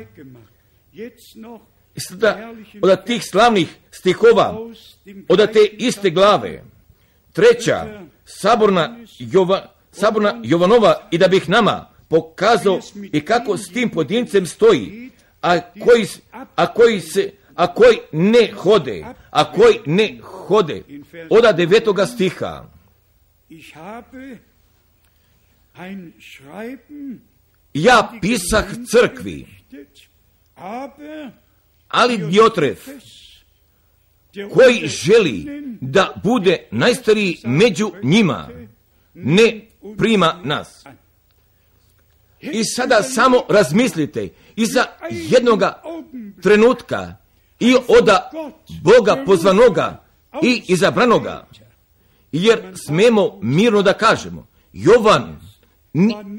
I sada od tih slavnih stihova, od te iste glave, 3. saborna Jovanova, i da bih nama pokazao i kako s tim pojedincem stoji, a koji ne hode, od 9. stiha. Ja pisah crkvi, ali Diotref, koji želi da bude najstariji među njima, ne prima nas. I sada samo razmislite, iza jednoga trenutka i od Boga pozvanoga i izabranoga, jer smemo mirno da kažemo, Jovan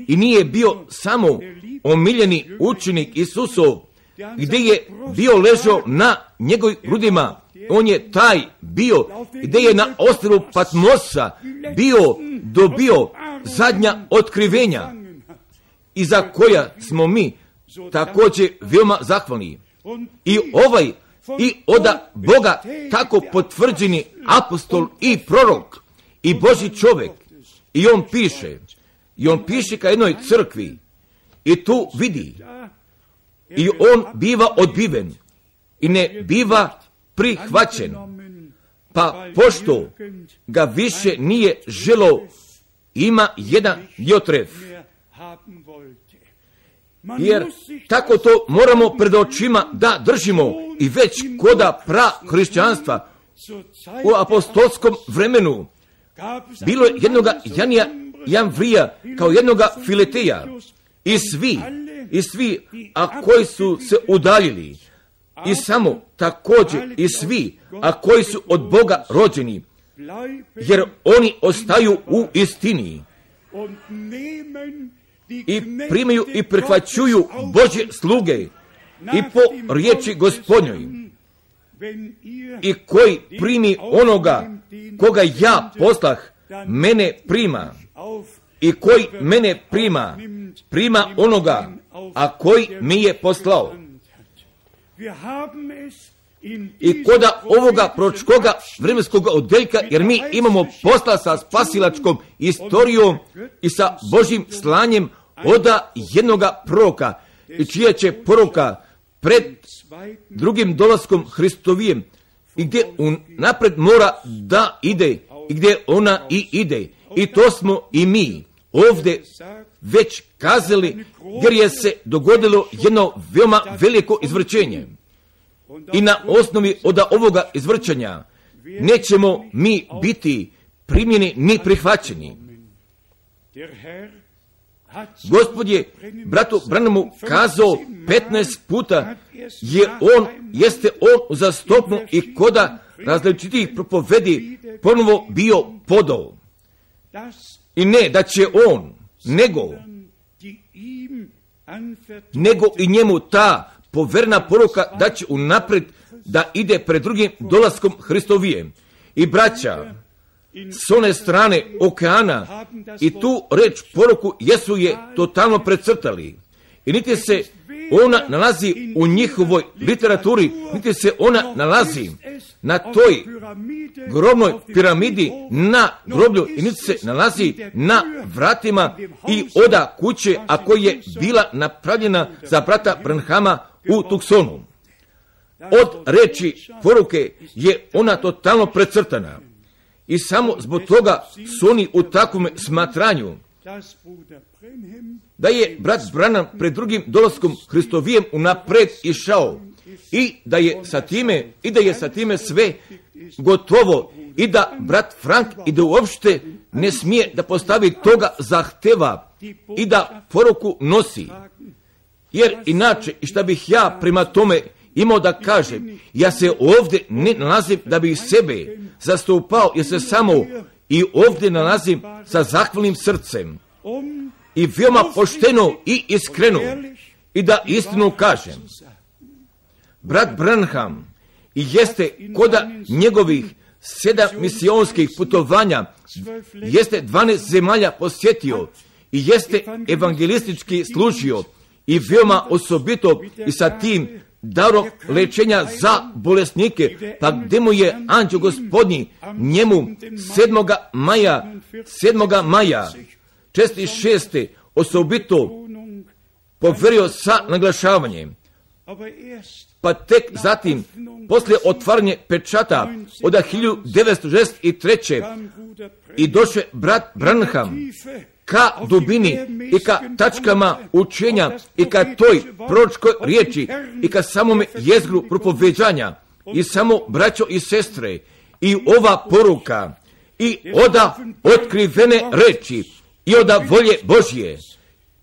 i nije bio samo omiljeni učenik Isusov, gdje je bio ležao na njegovim grudima, on je taj bio, gdje je na ostrvu Patmosa dobio zadnja otkrivenja i za koja smo mi također veoma zahvalni. I od Boga tako potvrđeni apostol i prorok i Božji čovjek, i on piše ka jednoj crkvi i tu vidi, i on biva odbiven i ne biva prihvaćen, pa pošto ga više nije želo, ima jedan Diotref. Jer tako to moramo pred očima da držimo i već koda hrišćanstva u apostolskom vremenu bilo je jednoga Janvrija kao jednoga Fileteja i svi, a koji su se udaljili, i samo također i svi, a koji su od Boga rođeni, jer oni ostaju u istini i primaju i prihvaćuju Božje sluge i po riječi Gospodnjoj, i koji primi onoga koga ja poslah, mene prima, i koji mene prima, prima onoga, a koji mi je poslao. I koda ovoga proročkoga vremenskog odeljka, jer mi imamo posla sa spasilačkom istorijom i sa Božjim slanjem oda jednoga proroka, i čija će poruka pred drugim dolaskom Hristovijem, i gdje napred mora da ide, i gdje ona i ide. I to smo i mi ovdje već kazali, jer je se dogodilo jedno veoma veliko izvrćenje. I na osnovi od ovoga izvrćenja nećemo mi biti primljeni ni prihvaćeni. Gospod je bratu Branhamu kazao 15 puta, jeste on uzastopno i koda različitih propovedi ponovo bio podao. I ne da će on, nego i njemu ta poverna poruka da će unapred da ide pred drugim dolaskom Hristovijem. I braća, s one strane okeana i tu reč poruku Jesu je totalno precrtali. I niti se ona nalazi u njihovoj literaturi, niti se ona nalazi na toj grobnoj piramidi na groblju, i niti se nalazi na vratima i oda kuće, a koja je bila napravljena za brata Branhama u Tucsonu. Od reči poruke je ona totalno precrtana. I samo zbog toga su oni u takvom smatranju da je brat Branham pred drugim dolaskom Hristovijem unapred išao i da je sa time sve gotovo, i da brat Frank i da uopšte ne smije da postavi toga zahteva i da poruku nosi. Jer inače, i šta bih ja prema tome imao da kažem, ja se ovdje ne nalazim da bih sebe zastupao, jer se samo i ovdje nalazim sa zahvalnim srcem i veoma pošteno i iskreno, i da istinu kažem. Brat Branham i jeste koda njegovih 7 misionskih putovanja, jeste 12 zemalja posjetio i jeste evangelistički služio, i veoma osobito i sa tim darom lečenja za bolesnike, pa gdje mu je anđeo Gospodnji njemu 7. maja 46. osobito poverio sa naglašavanjem. Pa tek zatim, poslije otvaranje pečata od 1963. i došao brat Branham ka dubini i ka tačkama učenja i ka toj proročkoj riječi i ka samome jezgru propoveđanja, i samo braćo i sestre, i ova poruka i oda otkrivene reči i oda volje Božje,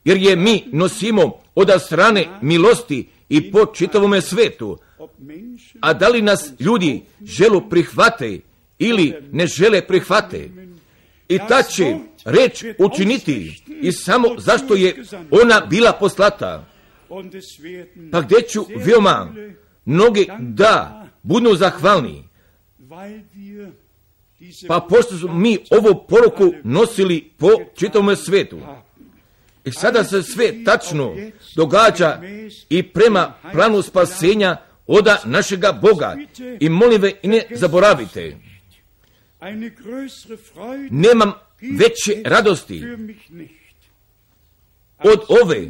jer je mi nosimo oda strane milosti i po čitavome svetu. A da li nas ljudi želu prihvate ili ne žele prihvate, i ta će reč učiniti i samo zašto je ona bila poslata. Pa gdje ću veoma mnogi da budu zahvalni, pa pošto smo mi ovu poruku nosili po čitavom svijetu. I sada se sve tačno događa i prema planu spasenja oda našega Boga. I molim ve, i ne zaboravite, nemam veće radosti od ove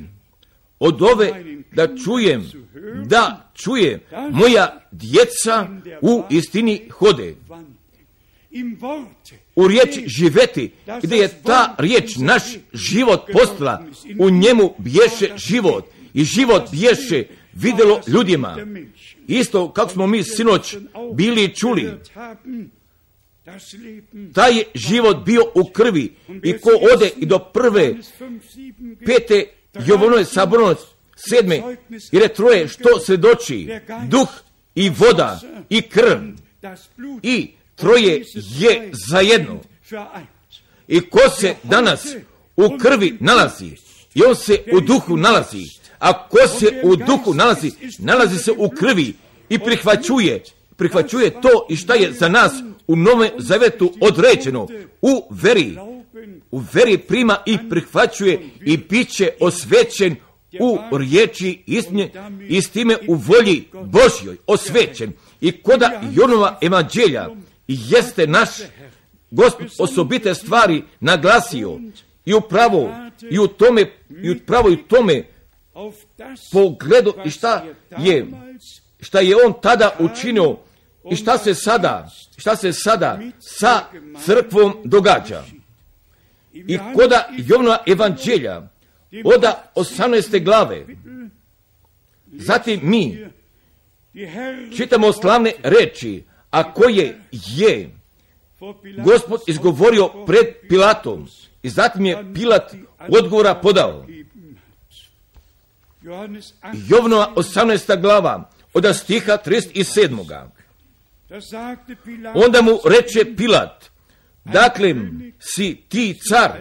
da čuje moja djeca u istini hode. U riječi živeti, gdje je ta riječ naš život postala, u njemu bješe život i život bješe vidjelo ljudima. Isto kako smo mi sinoć bili čuli, taj je život bio u krvi, i ko ode i do 5. Jovanove saborno 7. jer je troje što svjedoči, duh i voda i krv, i troje je zajedno. I ko se danas u krvi nalazi, i on se u duhu nalazi. A ko se u duhu nalazi se u krvi i prihvaćuje to i šta je za nas u Novom Zavetu određeno. U veri prima i prihvaćuje i bit će osvećen u riječi istine i s time u volji Božjoj osvećen. I koda Jonova evanđelja jeste naš Gospod osobite stvari naglasio i upravo i u tome pogledu i šta je on tada učinio i šta se sada sa crkvom događa. I koda Jovnova evanđelja oda 18. glave, zatim mi čitamo slavne reči, a koje je Gospod izgovorio pred Pilatom i zatim je Pilat odgovora podao. Jovnova 18. glava od stiha 37. Onda mu reče Pilat, dakle si ti car?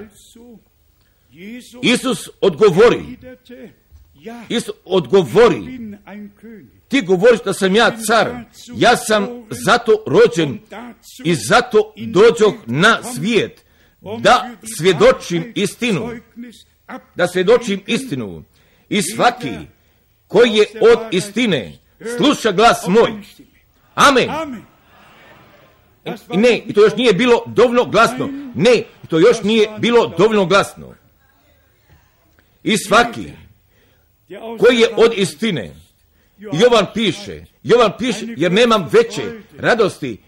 Isus odgovori, ti govoriš da sam ja car, ja sam zato rođen i zato dođoh na svijet, da svjedočim istinu. I svaki koji je od istine sluša glas moj. Amen. Ne, i to još nije bilo dovoljno glasno. I svaki koji je od istine, Jovan piše, jer nemam veće radosti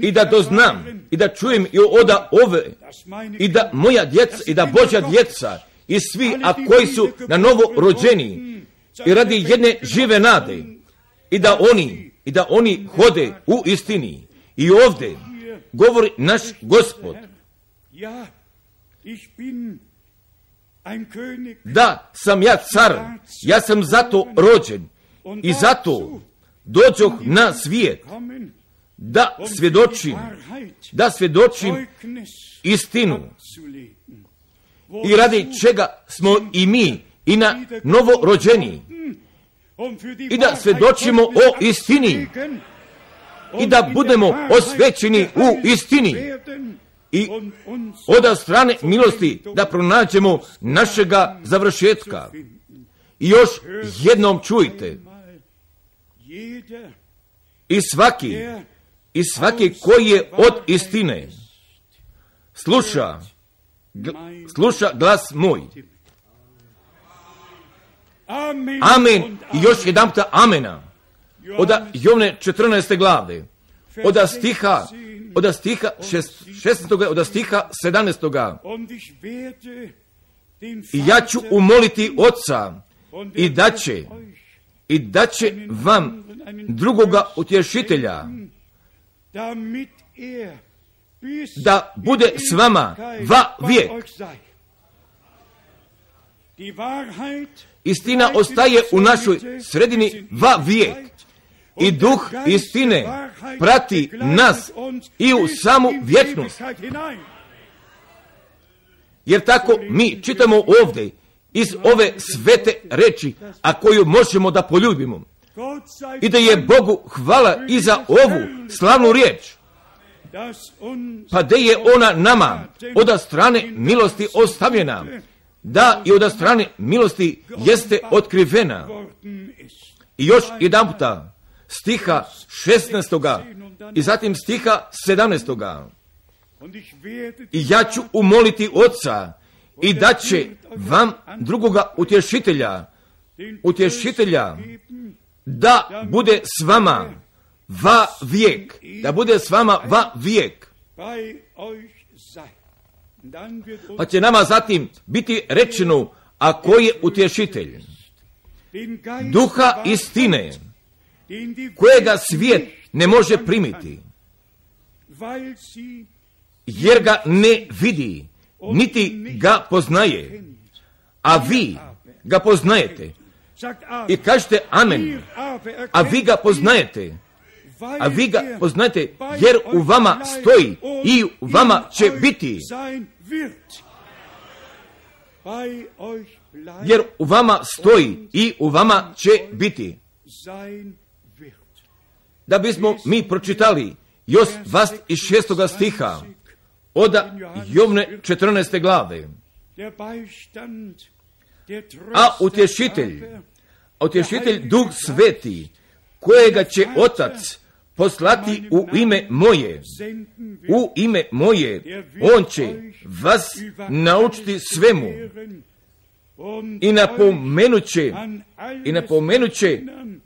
i da doznam i da čujem i oda ove i da moja djeca i da Božja djeca i svi, a koji su na novo rođeni i radi jedne žive nade i da oni hode u istini. I ovdje govori naš Gospod, da sam ja car, ja sam zato rođen i zato dođoh na svijet da svjedočim istinu. I radi čega smo i mi i na novo rođeni i da svjedočimo o istini i da budemo osvećeni u istini i od strane milosti da pronađemo našega završetka. I još jednom čujte, i svaki koji je od istine sluša glas moj. Amen. I još jedan puta amena. Od Jovne 14. glave, od stiha 16. od stiha 17. I ja ću umoliti Otca i da će vam drugoga utješitelja da bude s vama va vijek. Istina ostaje u našoj sredini va vijek. I duh istine prati nas i u samu vječnost. Jer tako mi čitamo ovdje iz ove svete reči, a koju možemo da poljubimo. I da je Bogu hvala i za ovu slavnu riječ. Pa da je ona nama od strane milosti ostavljena, da i od strane milosti jeste otkrivena. I još jedan puta stiha 16. i zatim stiha 17. I ja ću umoliti Otca i da će vam drugoga utješitelja da bude s vama va vijek. Da bude s vama va vijek. Pa će nama zatim biti rečeno, a ko je utješitelj? Duha istine, kojega svijet ne može primiti, jer ga ne vidi, niti ga poznaje, a vi ga poznajete. I kažete amen, a vi ga poznajete, a vi ga poznajte, jer u vama stoji i u vama će biti. Jer u vama stoji i u vama će biti. Da bismo mi pročitali još 26. stiha od Jovne 14. glave. A utješitelj Duh Sveti, kojega će Otac poslati u ime moje, on će vas naučiti svemu i napomenut će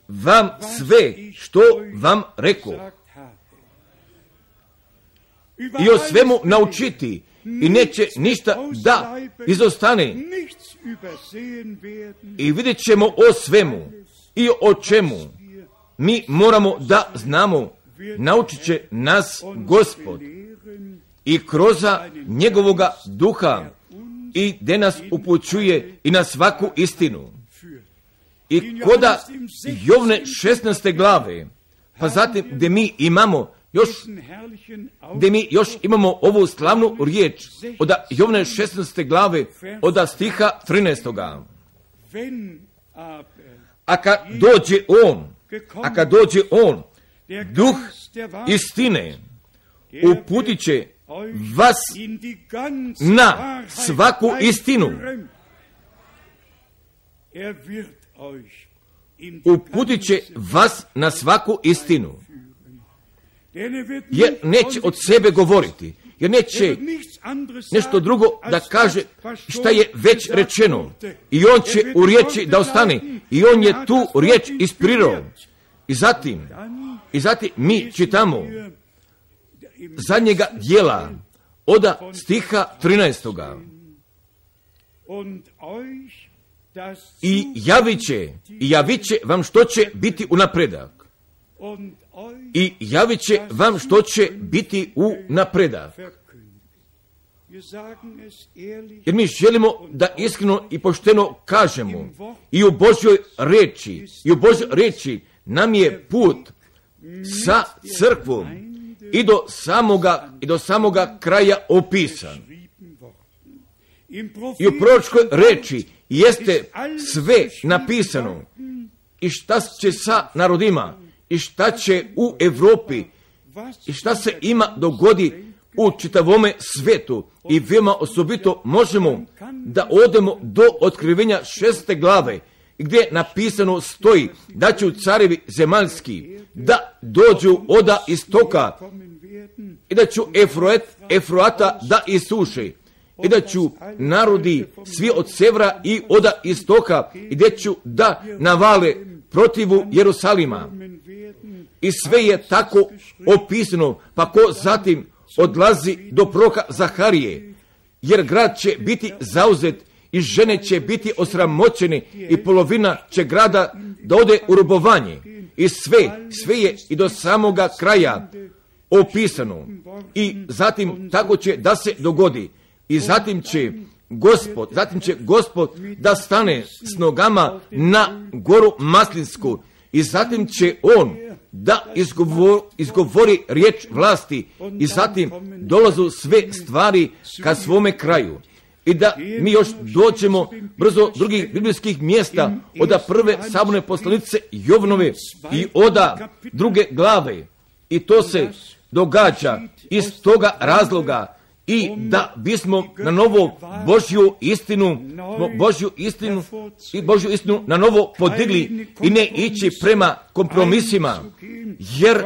vam sve što vam rekao. I o svemu naučiti i neće ništa da izostane. I vidjet ćemo o svemu i o čemu mi moramo da znamo. Naučit će nas Gospod i kroz njegovoga duha i gdje nas upućuje i na svaku istinu. I koda Jovne 16. glave, pa zatim gdje mi još imamo ovu slavnu riječ od Jovne 16. glave od stiha 13. A kad dođe on, Duh istine, uputit će vas na svaku istinu. Uputit će vas na svaku istinu. Jer neće od sebe govoriti, jer neće nešto drugo da kaže šta je već rečeno. I on će u riječi da ostane. I on je tu riječ isprirao. I zatim mi čitamo zadnjega dijela od stiha 13. I javit će vam što će biti u napredak. I javit će vam što će biti u napredak. Jer mi želimo da iskreno i pošteno kažemo i u Božjoj riječi nam je put sa crkvom i do samoga kraja opisan. I u proročkoj riječi jeste sve napisano i šta će sa narodima i šta će u Europi i šta se ima dogodi u čitavome svijetu. I veoma osobito možemo da odemo do otkrivenja 6. glave gdje napisano stoji da će carevi zemaljski da dođu od istoka i da ću Efroata da isuše i da ću narodi svi od severa i od istoka i da ću da navale protivu Jerusalima. I sve je tako opisano, pa ko zatim odlazi do proroka Zaharije, jer grad će biti zauzet i žene će biti osramoćene i polovina će grada da ode u robovanje. I sve je i do samoga kraja opisano. I zatim tako će da se dogodi. I zatim će Gospod da stane s nogama na goru Maslinsku. I zatim će on da izgovori riječ vlasti. I zatim dolazu sve stvari ka svome kraju. I da mi još dođemo brzo drugih biblijskih mjesta od prve saborne poslanice Jovnove i od 2. glave. I to se događa iz toga razloga i da bismo na novo Božju istinu na novo podigli i ne ići prema kompromisima, jer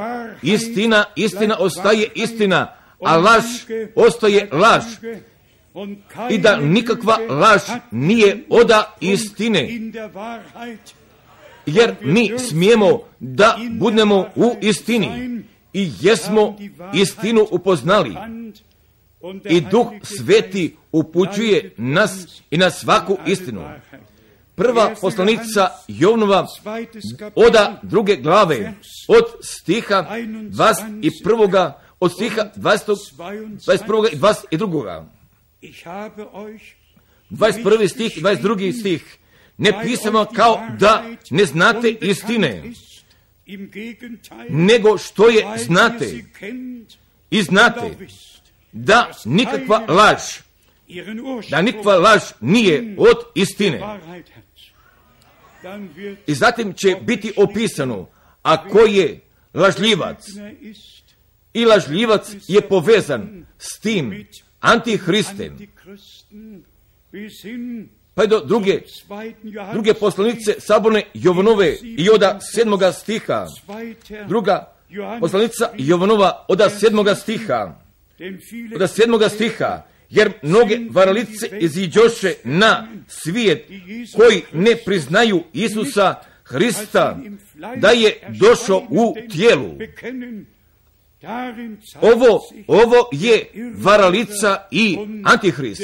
istina ostaje istina, a laž ostaje laž. I da nikakva laž nije od istine, jer mi smijemo da budemo u istini i jesmo istinu upoznali. I Duh Sveti upućuje nas i na svaku istinu. Prva poslanica Jovnova od 2. glave od stiha 21. od stiha 21. i 22. 21. stih i 22. stih. Ne pisamo kao da ne znate istine, nego što je znate. I znate da nikakva laž nije od istine. I zatim će biti opisano, a ko je lažljivac. I lažljivac je povezan s tim antihristem. Pa je do druge poslanice Saborne Jovanove i od 7. stiha. Druga poslanica Jovanova od 7. stiha. Od 7. stiha. Jer mnoge varalice iziđoše na svijet koji ne priznaju Isusa Hrista da je došao u tijelu. Ovo je varalica i antihrist.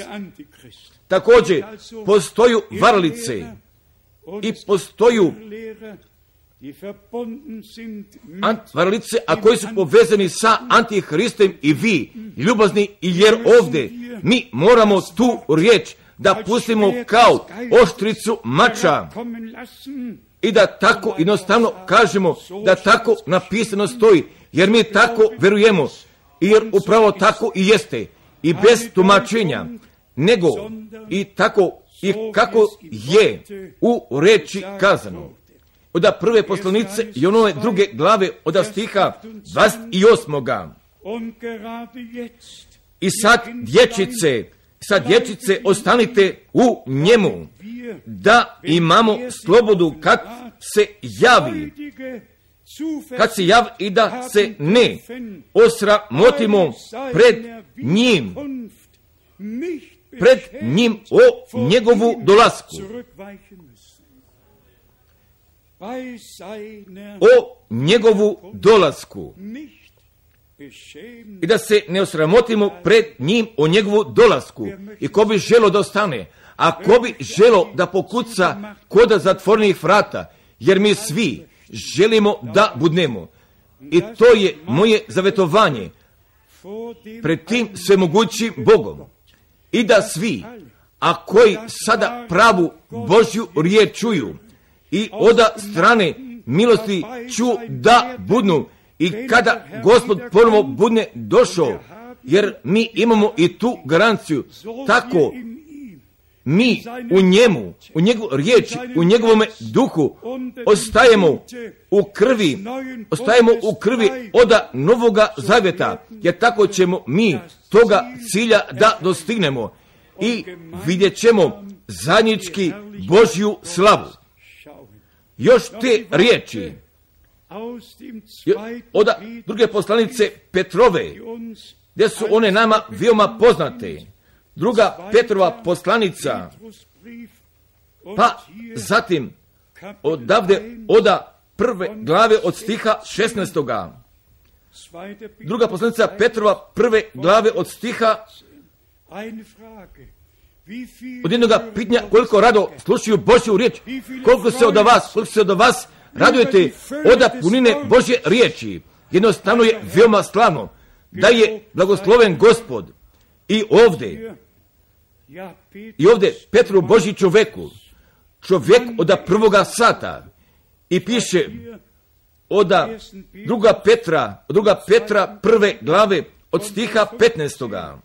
Također postoju varalice i postoju varalice, a koji su povezani sa antihristom i vi, ljubazni, jer ovdje mi moramo tu riječ da pustimo kao oštricu mača i da tako jednostavno kažemo da tako napisano stoji, jer mi tako verujemo, jer upravo tako i jeste, i bez tumačenja, nego i tako i kako je u reči kazano. Od prve poslanice i onove 2. glave od stiha 28. I sad dječice ostanite u njemu, da imamo slobodu kad se javi i da se ne osramotimo pred njim o njegovu dolasku. O njegovu dolasku. I da se ne osramotimo pred njim o njegovu dolasku. I ko bi želo da ostane, a ko bi želo da pokuca kod zatvorenih vrata, jer mi svi želimo da budnemo. I to je moje zavetovanje pred tim svemogućim Bogom. I da svi, a koji sada pravu Božju riječ čuju i od strane milosti ču da budnu, i kada Gospod ponovo budne došao, jer mi imamo i tu garanciju, tako mi u njemu, u njegovu riječi, u njegovome duhu ostajemo u krvi od Novoga Zavjeta, jer tako ćemo mi toga cilja da dostignemo i vidjet ćemo zajednički Božju slavu. Još te riječi od 2. poslanice Petrove, gdje su one nama veoma poznate. 2. Petrova poslanica, pa zatim odavde od 1. glave od stiha 16. 2. poslanica Petrova 1. glave od stiha od jednoga pitanja, koliko rado slušaju Božju riječ, koliko se od vas radujete od punine Božje riječi. Jednostavno je veoma slavno da je blagosloven Gospod i ovdje Petru Božji čovjek od 1. sata, i piše od 2. Petra 1. glave od stiha 15.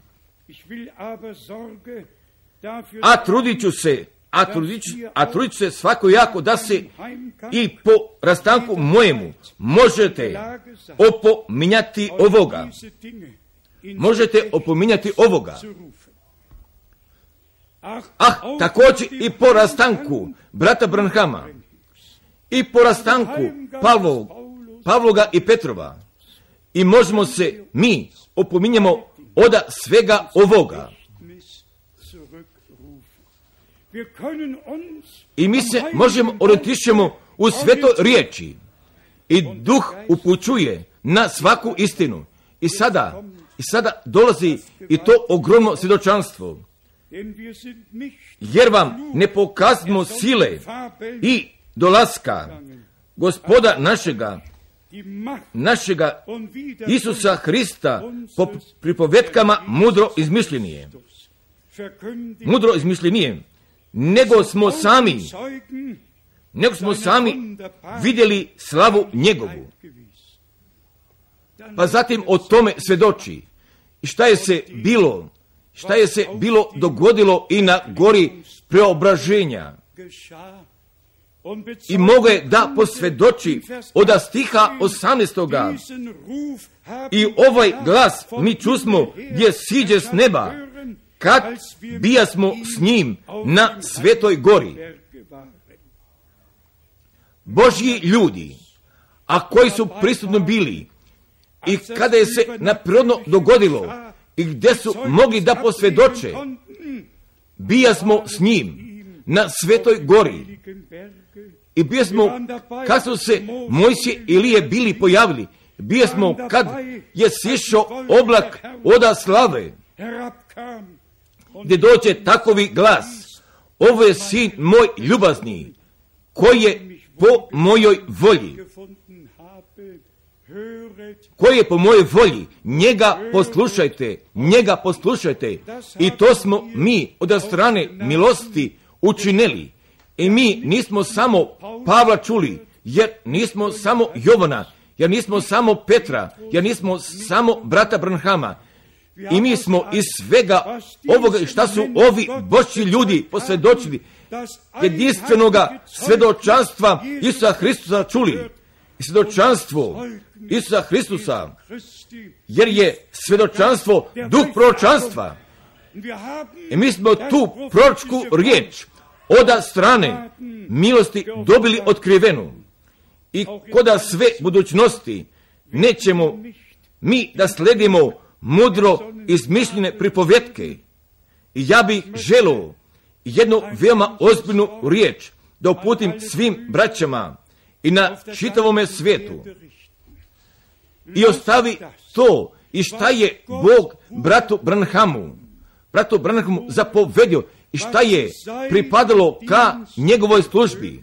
A trudit ću se svakojako da se i po rastanku mojemu možete opominjati ovoga. Također i po rastanku brata Branhama, i po rastanku Pavloga i Petrova, i možemo se mi opominjemo od svega ovoga. I mi se možemo otišćemo u svetoj riječi, i duh upućuje na svaku istinu. I sada dolazi i to ogromno svjedočanstvo, jer vam ne pokazimo sile i dolaska Gospoda našega Isusa Hrista po pripovetkama mudro izmišljenije, nego smo sami nego smo sami vidjeli slavu njegovu. Pa zatim o tome svjedoči. Šta je se bilo dogodilo i na gori preobraženja. I mogu je da posvjedoči od stiha 18. I ovaj glas mi čusmo gdje siđe s neba, kad bijasmo s njim na svetoj gori. Božji ljudi, a koji su prisutno bili, i kada je se naprirodno dogodilo, i gdje su mogli da posvjedoče, bijasmo s njim na svetoj gori. I bijasmo kad su se Mojsije i Ilije bili pojavili, bijasmo kad je sišao oblak oda slave, gdje dođe takovi glas: ovo je sin moj ljubazni, koji je po mojoj volji. Koji je po mojoj volji, njega poslušajte. I to smo mi od strane milosti učinili. I mi nismo samo Pavla čuli, jer nismo samo Jovana, jer nismo samo Petra, jer nismo samo brata Branhama. I mi smo iz svega ovoga šta su ovi Božji ljudi posvjedočili, jedinstvenoga svjedočanstva Isusa Hristusa čuli. I svjedočanstvo Isusa Hristusa, jer je svjedočanstvo duh proročanstva. I mi smo tu proročku riječ od strane milosti dobili otkrivenu. I koda sve budućnosti nećemo mi da sledimo mudro izmišljene pripovjetke. I ja bih želio jednu veoma ozbiljnu riječ da uputim svim braćama i na čitavome svijetu. I ostavi to i šta je Bog bratu Branhamu zapovedio i šta je pripadalo ka njegovoj službi.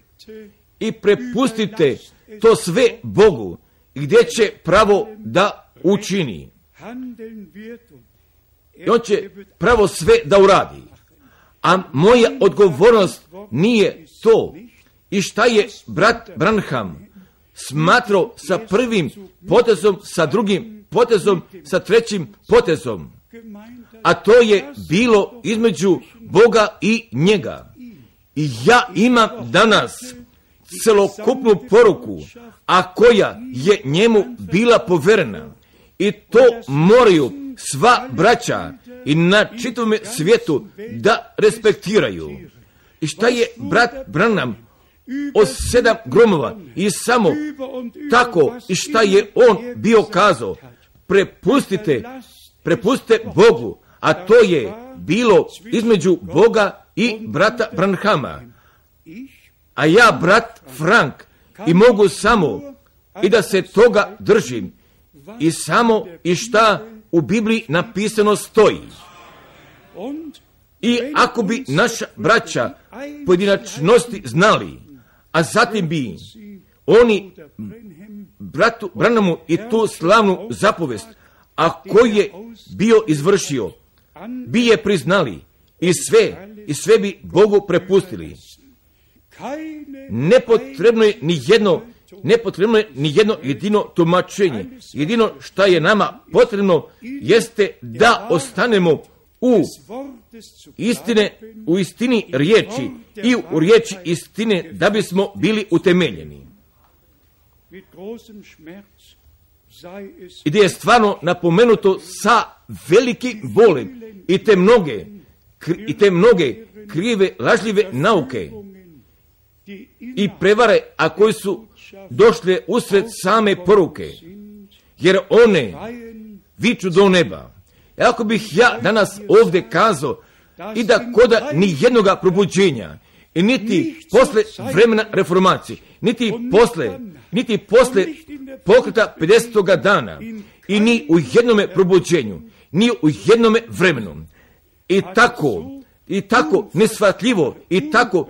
I prepustite to sve Bogu, gdje će pravo da učini. I on će pravo sve da uradi. A moja odgovornost nije to. I šta je brat Branham smatrao sa prvim potezom, sa drugim potezom, sa trećim potezom. A to je bilo između Boga i njega. I ja imam danas celokupnu poruku, a koja je njemu bila poverena. I to moraju sva braća i na čitavom svijetu da respektiraju. I šta je brat Branham od 7 gromova i samo tako i šta je on bio kazao, prepustite Bogu, a to je bilo između Boga i brata Branhama. A ja, brat Frank, i mogu samo i da se toga držim i samo i šta u Bibliji napisano stoji. I ako bi naša braća pojedinačnosti znali, a zatim bi oni bratu Branhamu i tu slavnu zapovest, a koji je bio izvršio, bi je priznali i sve bi Bogu prepustili. Nepotrebno je ni jedno jedino tumačenje. Jedino što je nama potrebno jeste da ostanemo u istini riječi i u riječi istine, da bismo bili utemeljeni. I da je stvarno napomenuto sa velikim bolem i te mnoge krive, lažljive nauke i prevare, a koji su došle usred same poruke, jer one viču do neba. I ako bih ja danas ovdje kazao i da koda ni jednoga probuđenja, i niti posle vremena reformacije, niti posle pokreta 50. dana, i ni u jednome probuđenju, ni u jednome vremenu, i tako neshvatljivo i tako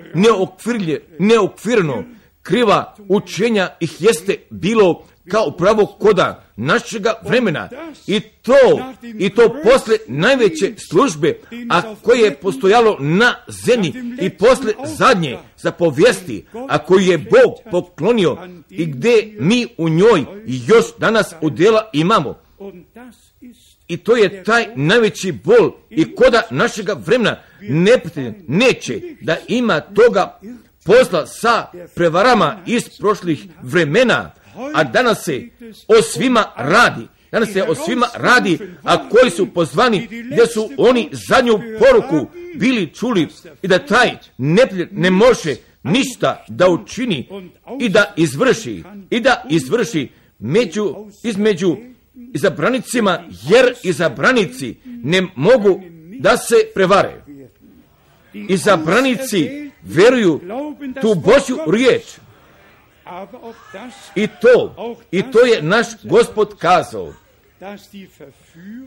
neokvirno kriva učenja ih jeste bilo kao pravo koda našega vremena i to posle najveće službe, a koje je postojalo na zemlji i posle zadnje zapovijesti, a koju je Bog poklonio i gdje mi u njoj još danas udjela imamo. I to je taj najveći bol i koda našega vremena neće da ima toga posla sa prevarama iz prošlih vremena, a danas se o svima radi. Danas se o svima radi, a koji su pozvani, gdje su oni zadnju poruku bili čuli i da taj neprijatelj ne može ništa da učini i da izvrši između izabranicima, jer izabranici ne mogu da se prevare. Izabranici veruju tu Božju riječ. I to je naš Gospod kazao,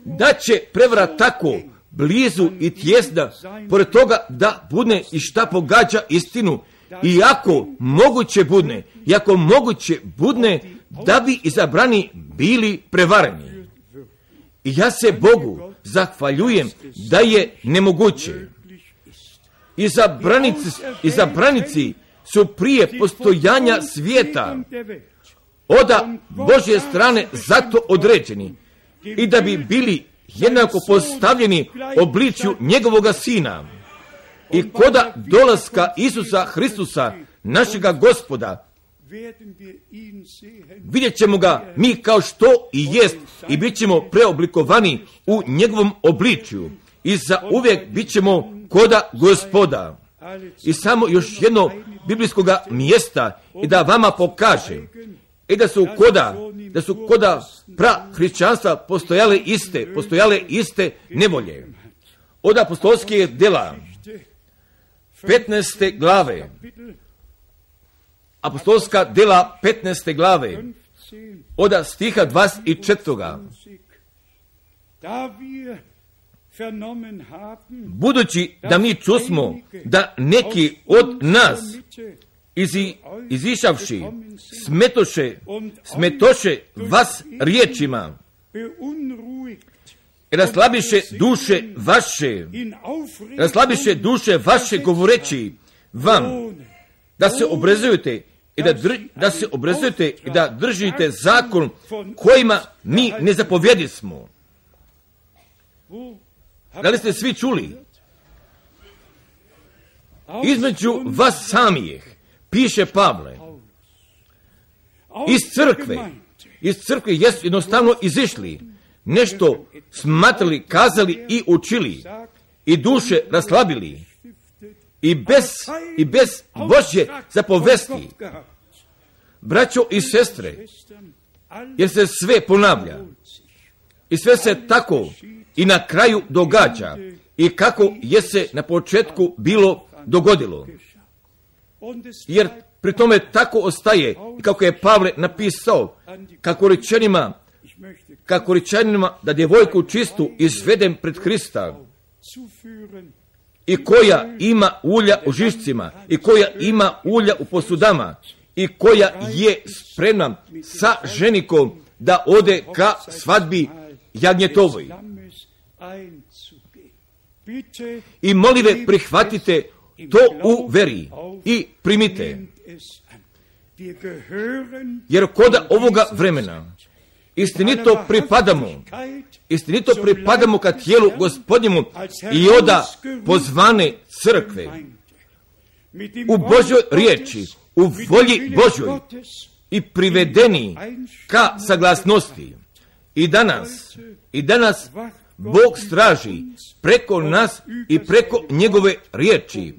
da će prevara tako blizu i tjesna, pored toga da budne i šta pogađa istinu, i ako moguće budne da bi izabrani bili prevareni. I ja se Bogu zahvaljujem da je nemoguće. Izabranici su prije postojanja svijeta od Božje strane zato određeni i da bi bili jednako postavljeni obličju njegovoga Sina. I koda dolaska Isusa Hristusa, našega Gospoda, vidjet ćemo ga mi kao što i jest i bit ćemo preoblikovani u njegovom obličju i za uvijek bit ćemo koda Gospoda. I samo još jedno biblijskoga mjesta i da vama pokažem i da su koda prahrišćanstva postojale iste nevolje. Od apostolskih djela 15. glave, apostolska djela 15. glave, od stiha 24. Budući da mi čusmo da neki od nas izišavši smetoše vas riječima, raslabiše vaše govoreći vam da se obrazujete i da držite zakon kojima mi ne zapovjedismo. Da li ste svi čuli? Između vas samih, piše Pavle, iz crkve jesu jednostavno izišli, nešto smatrali, kazali i učili, i duše raslabili, i bez Božje zapovesti. Braćo i sestre, jer se sve ponavlja, i sve se tako i na kraju događa, i kako je se na početku bilo dogodilo. Jer pri tome tako ostaje, i kako je Pavle napisao, kako rečenima da djevojku čistu izvedem pred Hrista, i koja ima ulja u žišcima, i koja ima ulja u posudama, i koja je spremna sa ženikom da ode ka svadbi jagnjetovoj. I molive prihvatite to u veri i primite. Jer koda ovoga vremena istinito pripadamo ka tijelu Gospodnjemu i oda pozvane crkve u Božjoj riječi, u volji Božjoj i privedeni ka saglasnosti. I danas Bog straži preko nas i preko njegove riječi,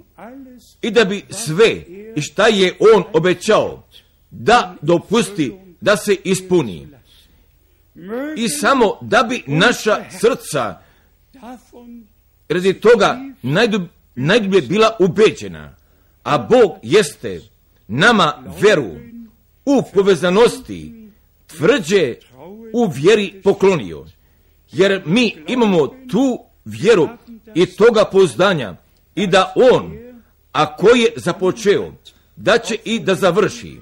i da bi sve i šta je on obećao da dopusti da se ispuni. I samo da bi naša srca radi toga najdublje bila ubeđena, a Bog jeste nama veru u povezanosti tvrđe u vjeri poklonio. Jer mi imamo tu vjeru i toga pouzdanja, i da on, a koji je započeo, da će i da završi.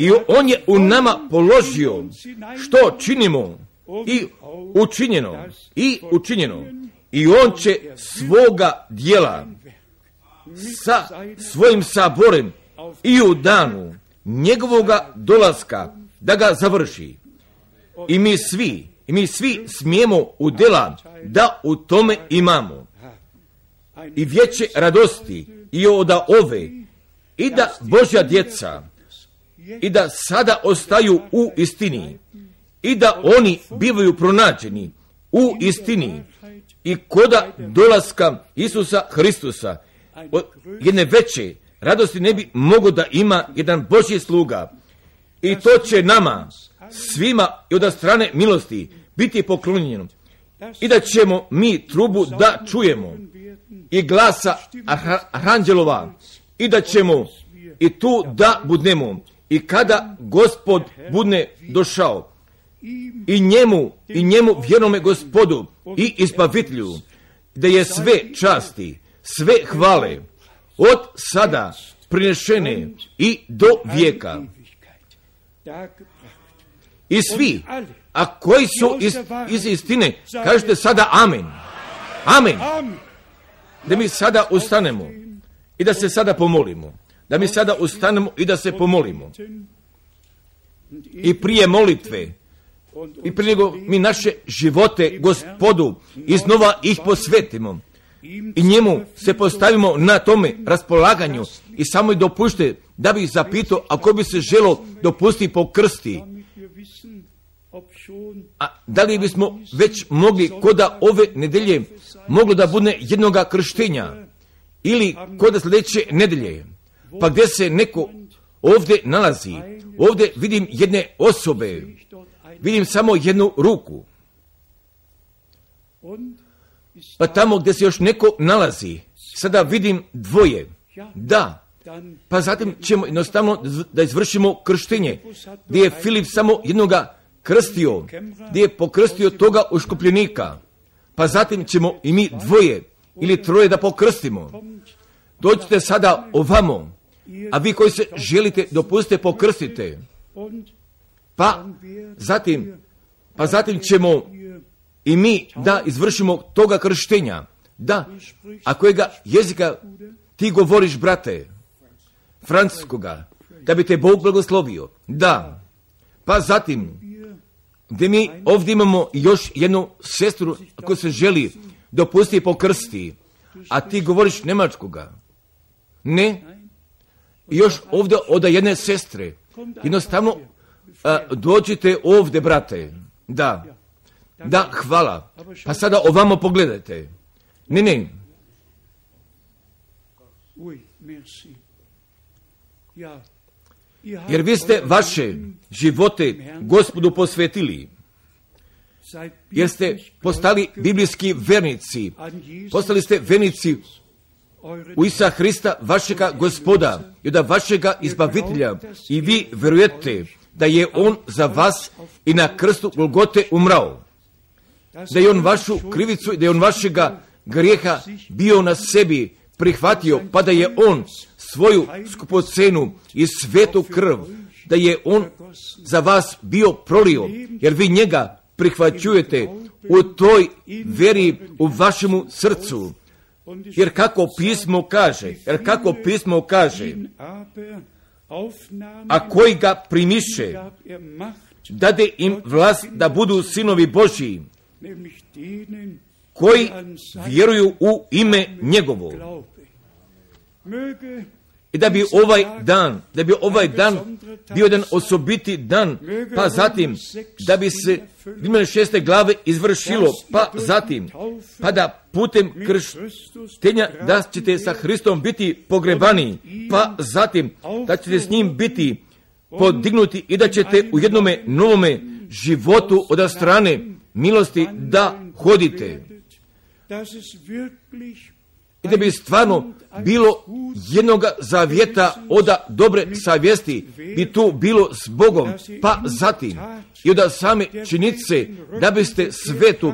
I on je u nama položio što činimo i učinjeno. I on će svoga dijela sa svojim saborem i u danu njegovoga dolaska da ga završi. I mi svi smijemo udjela da u tome imamo i veće radosti i od ove, i da Božja djeca i da sada ostaju u istini i da oni bivaju pronađeni u istini i koda dolaska Isusa Hristusa jedne veće radosti ne bi mogo da ima jedan Božji sluga. I to će nama svima i od strane milosti biti poklonjeno. I da ćemo mi trubu da čujemo i glasa anđelova i da ćemo i tu da budemo i kada Gospod budne došao i njemu vjernome Gospodu i Izbavitelju, da je sve časti, sve hvale od sada prinešene i do vijeka. I svi, a koji su iz istine, kažete sada amen. Amen. Da mi sada ustanemo i da se sada pomolimo. Da mi sada ustanemo i da se pomolimo. I prije molitve, i prije nego mi naše živote Gospodu iznova ih posvetimo i njemu se postavimo na tome raspolaganju i samo i dopušte da bi zapitao ako bi se želo dopustiti po krsti. A da li bismo već mogli koda ove nedelje moglo da bude jednoga krštenja ili koda sljedeće nedelje, pa gdje se neko ovdje nalazi, ovdje vidim jedne osobe, vidim samo jednu ruku, pa tamo gdje se još neko nalazi, sada vidim dvoje, da, pa zatim ćemo jednostavno da izvršimo krštenje, gdje je Filip samo jednoga krstio, gdje je pokrstio toga uškupljenika, pa zatim ćemo i mi dvoje ili troje da pokrstimo. Dođite sada ovamo, a vi koji se želite dopustite pokrstite, pa zatim ćemo i mi da izvršimo toga krštenja. Da, a kojega jezika ti govoriš, brate? Francuskoga, da bi te Bog blagoslovio. Da, pa zatim, gdje mi ovdje imamo još jednu sestru ako se želi dopustiti pokrsti, a ti govoriš njemačkoga. Ne, još ovdje od jedne sestre. Jednostavno, dođite ovdje, brate. Da, hvala. Pa sada ovamo pogledajte. Ne. Jer vi ste vaše živote Gospodu posvetili. Jer ste postali biblijski vernici. Postali ste vernici u Isa Hrista, vašega Gospoda i da vašega Izbavitelja. I vi vjerujete da je On za vas i na krstu Golgote umrao. Da je On vašu krivicu i da je On vašega grijeha bio na sebi prihvatio, pa da je On svoju skupocenu i svetu krv, da je On za vas bio prolio, jer vi njega prihvaćujete u toj vjeri u vašemu srcu. Jer kako pismo kaže, a koji ga primiše, dade im vlast da budu sinovi Božji, koji vjeruju u ime njegovo. I da bi ovaj dan bio jedan osobiti dan, pa zatim da bi se imene 6. glave izvršilo, pa zatim pa da putem krštenja da ćete sa Hristom biti pogrebani, pa zatim da ćete s njim biti podignuti i da ćete u jednome novome životu od strane milosti da hodite. I da bi stvarno bilo jednoga zavjeta od dobre savjesti bi tu bilo s Bogom, pa zatim i od same činjenice da biste svetu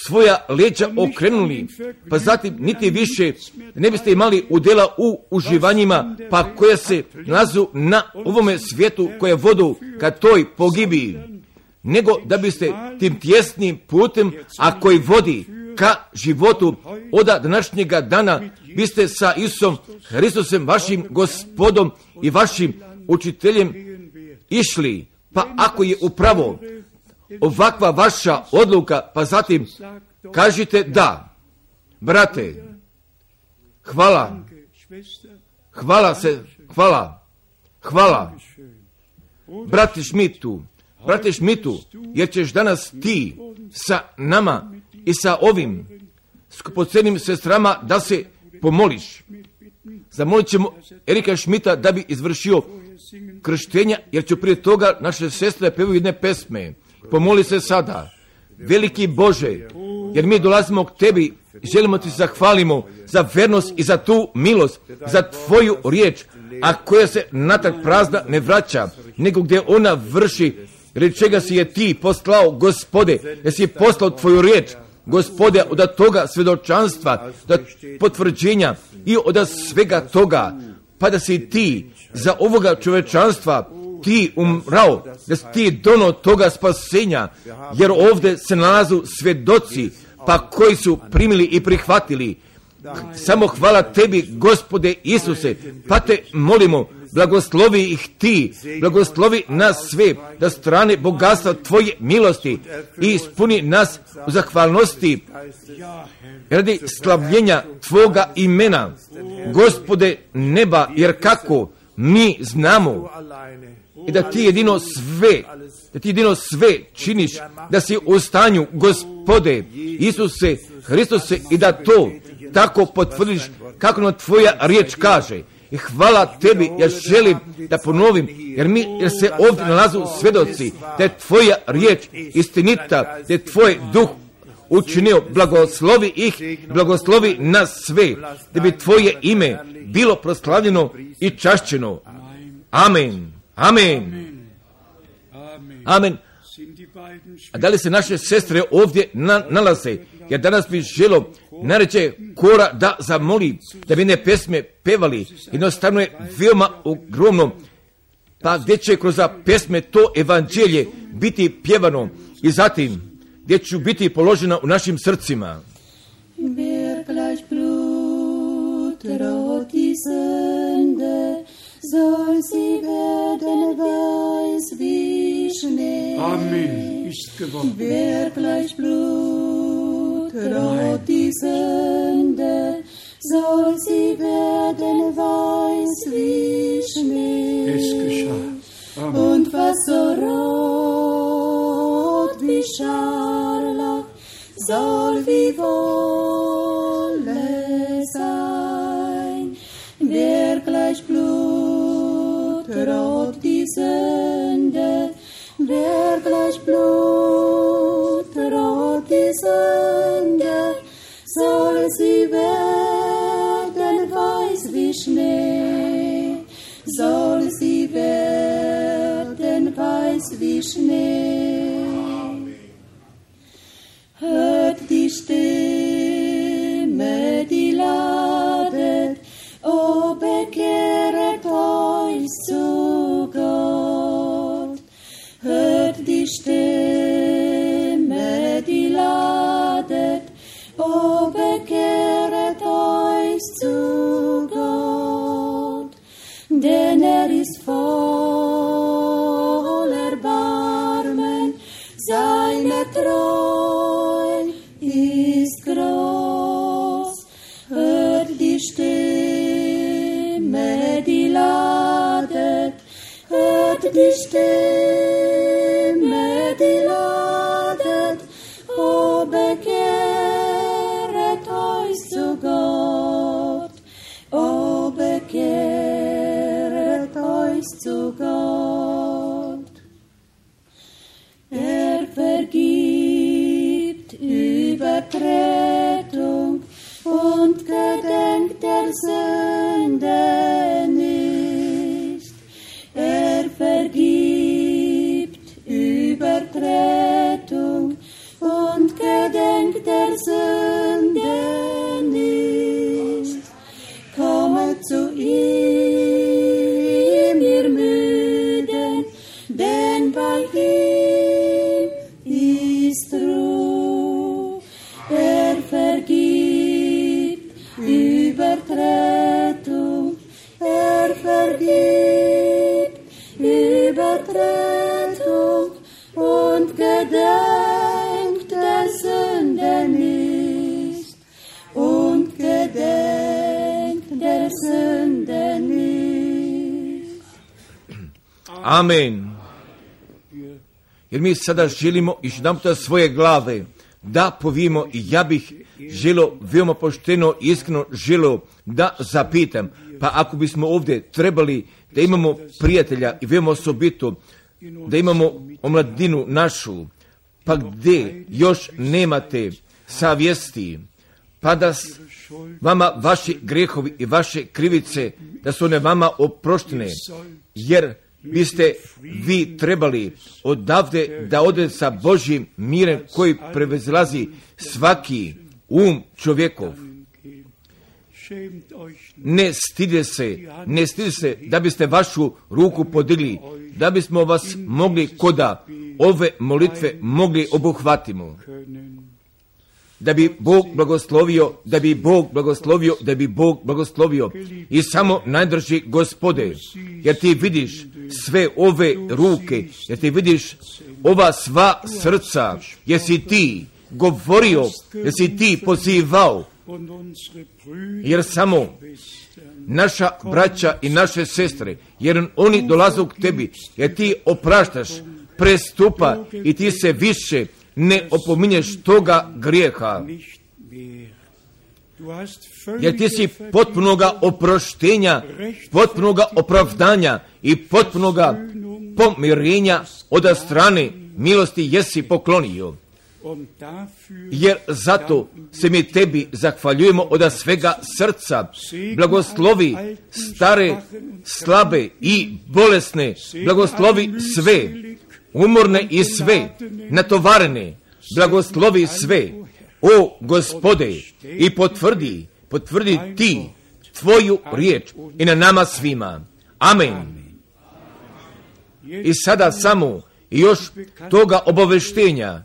svoja leđa okrenuli, pa zatim niti više ne biste imali udjela u uživanjima, pa koja se nalazu na ovome svijetu, koja vodu ka toj pogibi, nego da biste tim tjesnim putem, a koji vodi ka životu od današnjega dana, biste sa Isusom Hristusem, vašim Gospodom i vašim učiteljem išli. Pa ako je upravo ovakva vaša odluka, pa zatim kažite da, brate, hvala, brate Šmitu, jer ćeš danas ti sa nama i sa ovim skupocjenim sestrama da se pomoliš. Zamolit ćemo Erika Šmita da bi izvršio krštenja, jer će prije toga naše sestre pevaju jedne pesme. Pomoli se sada. Veliki Bože, jer mi dolazimo k tebi, želimo ti zahvalimo za vernost i za tu milost, za tvoju riječ, a koja se natrag prazna ne vraća, nego gdje ona vrši, radi čega si je ti poslao, Gospode, jer si poslao tvoju riječ, Gospode, od toga svjedočanstva, od potvrđenja i od svega toga, pa da si ti za ovoga čovečanstva ti umrao, da si ti dono toga spasenja, jer ovdje se nalazu svjedoci, pa koji su primili i prihvatili. Samo hvala tebi, Gospode Isuse, pa te molimo, blagoslovi ih ti, blagoslovi nas sve, da strane bogatstva tvoje milosti i ispuni nas u zahvalnosti radi slavljenja tvoga imena, Gospode neba, jer kako mi znamo i da ti jedino sve činiš, da si u stanju, Gospode Isuse Hristuse, i da to tako potvrdiš kako nam tvoja riječ kaže. I hvala tebi, ja želim da ponovim, jer se ovdje nalazu svjedoci da je tvoja riječ istinita, da je tvoj duh učinio, blagoslovi ih, blagoslovi nas sve, da bi tvoje ime bilo proslavljeno i čašćeno. Amen. Amen. Amen. A da li se naše sestre ovdje nalaze? Ja danas bih želio nareće kora da zamoli da bi ne pesme pevali. Jednostavno je veoma ogromno, pa gdje će kroz pesme to evanđelje biti pjevano i zatim gdje ću biti položena u našim srcima. Wer gleich Blut rot die Sünde, soll sie werden weiß wie Schnee. Amen, ist geworden. Wer gleich Blut rot die Sünde, soll sie werden weiß wie Schnee. Es geschah. Amen. Und was so rot wie Scharlach, soll wie Wolle sein. Wer gleich blutrot die Sünde, wer gleich blutrot die Sünde, soll sie werden weiß wie Schnee, soll sie werden weiß wie Schnee. Hört die Stimme, die ladet, o bekehret euch zu Gott. Hört die Stimme, die ladet, o bekehret euch zu Gott. Denn ist voll Erbarmen, seine Treu ist groß. Hört die Stimme, die ladet, hört die Stimme, die ladet, o bekehret euch zu Gott, o bekehret euch zu Gott. Vergibt Übertretung und gedenkt der Sünde nicht. Vergibt Gott Rettung und gedenkt der Sünde nicht. Und gedenkt der Sünde nicht. Amen. Jer mi sada želimo još jedanputa svoje glave da povijemo i ja bih želio veoma pošteno i iskreno želio da zapitam, pa ako bismo ovdje trebali da imamo prijatelja i veoma osobito da imamo omladinu našu, pa gdje još nemate savjesti, pa da vama vaši grehovi i vaše krivice, da su one vama oproštene, jer biste vi trebali odavde da ode sa Božjim mirem koji prevazilazi svaki čovjekov. Ne stide se da biste vašu ruku podigli, da bismo vas mogli koda ove molitve mogli obuhvatimo. Da bi Bog blagoslovio i samo najdrži Gospode, jer ti vidiš sve ove ruke, jer ti vidiš ova sva srca, jer si ti govorio, jer si ti pozivao, jer samo naša braća i naše sestre, jer oni dolaze k tebi, jer ti opraštaš prestupa i ti se više ne opominješ toga grijeha, jer ti si potpunoga oproštenja, potpunoga opravdanja i potpunoga pomirenja od strane milosti jesi poklonio. Jer zato se mi tebi zahvaljujemo od svega srca. Blagoslovi stare, slabe i bolesne, blagoslovi sve umorne i sve natovarene, blagoslovi sve, o Gospode, i potvrdi ti tvoju riječ i na nama svima. Amen. I sada samo još toga obaveštenja,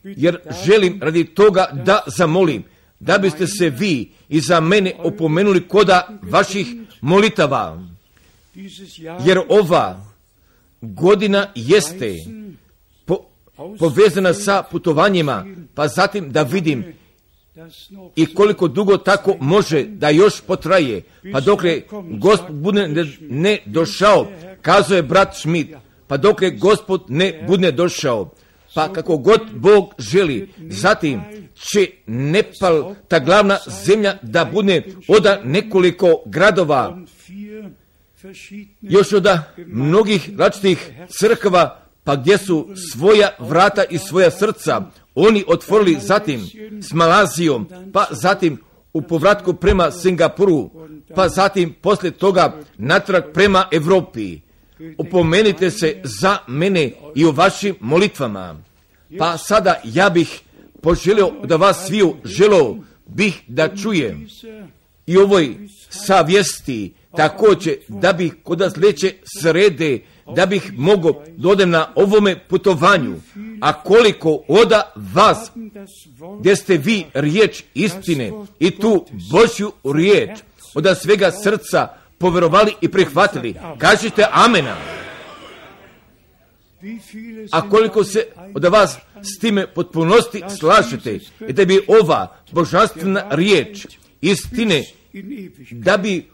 jer želim radi toga da zamolim, da biste se vi i za mene opomenuli koda vaših molitava, jer ova godina jeste povezana sa putovanjima, pa zatim da vidim i koliko dugo tako može da još potraje, pa dokle Gospod bude ne došao, kazao je brat Schmidt, pa dokle Gospod ne bude došao, pa kako god Bog želi, zatim će Nepal, ta glavna zemlja, da bude od nekoliko gradova, još od mnogih različitih crkava, pa gdje su svoja vrata i svoja srca oni otvorili, zatim s Malazijom, pa zatim u povratku prema Singapuru, pa zatim poslije toga natrag prema Europi. Opomenite se za mene i o vašim molitvama. Pa sada ja bih poželio da vas sviju želio bih da čujem i ovoj savjesti također, da bih kod sljedeće srede, da bih mogao dodem na ovome putovanju, a koliko od vas gdje ste vi riječ istine i tu Božju riječ od svega srca povjerovali i prihvatili, kažite amena. A koliko se od vas s time potpunosti slažete i da bi ova božanstvena riječ istine da bi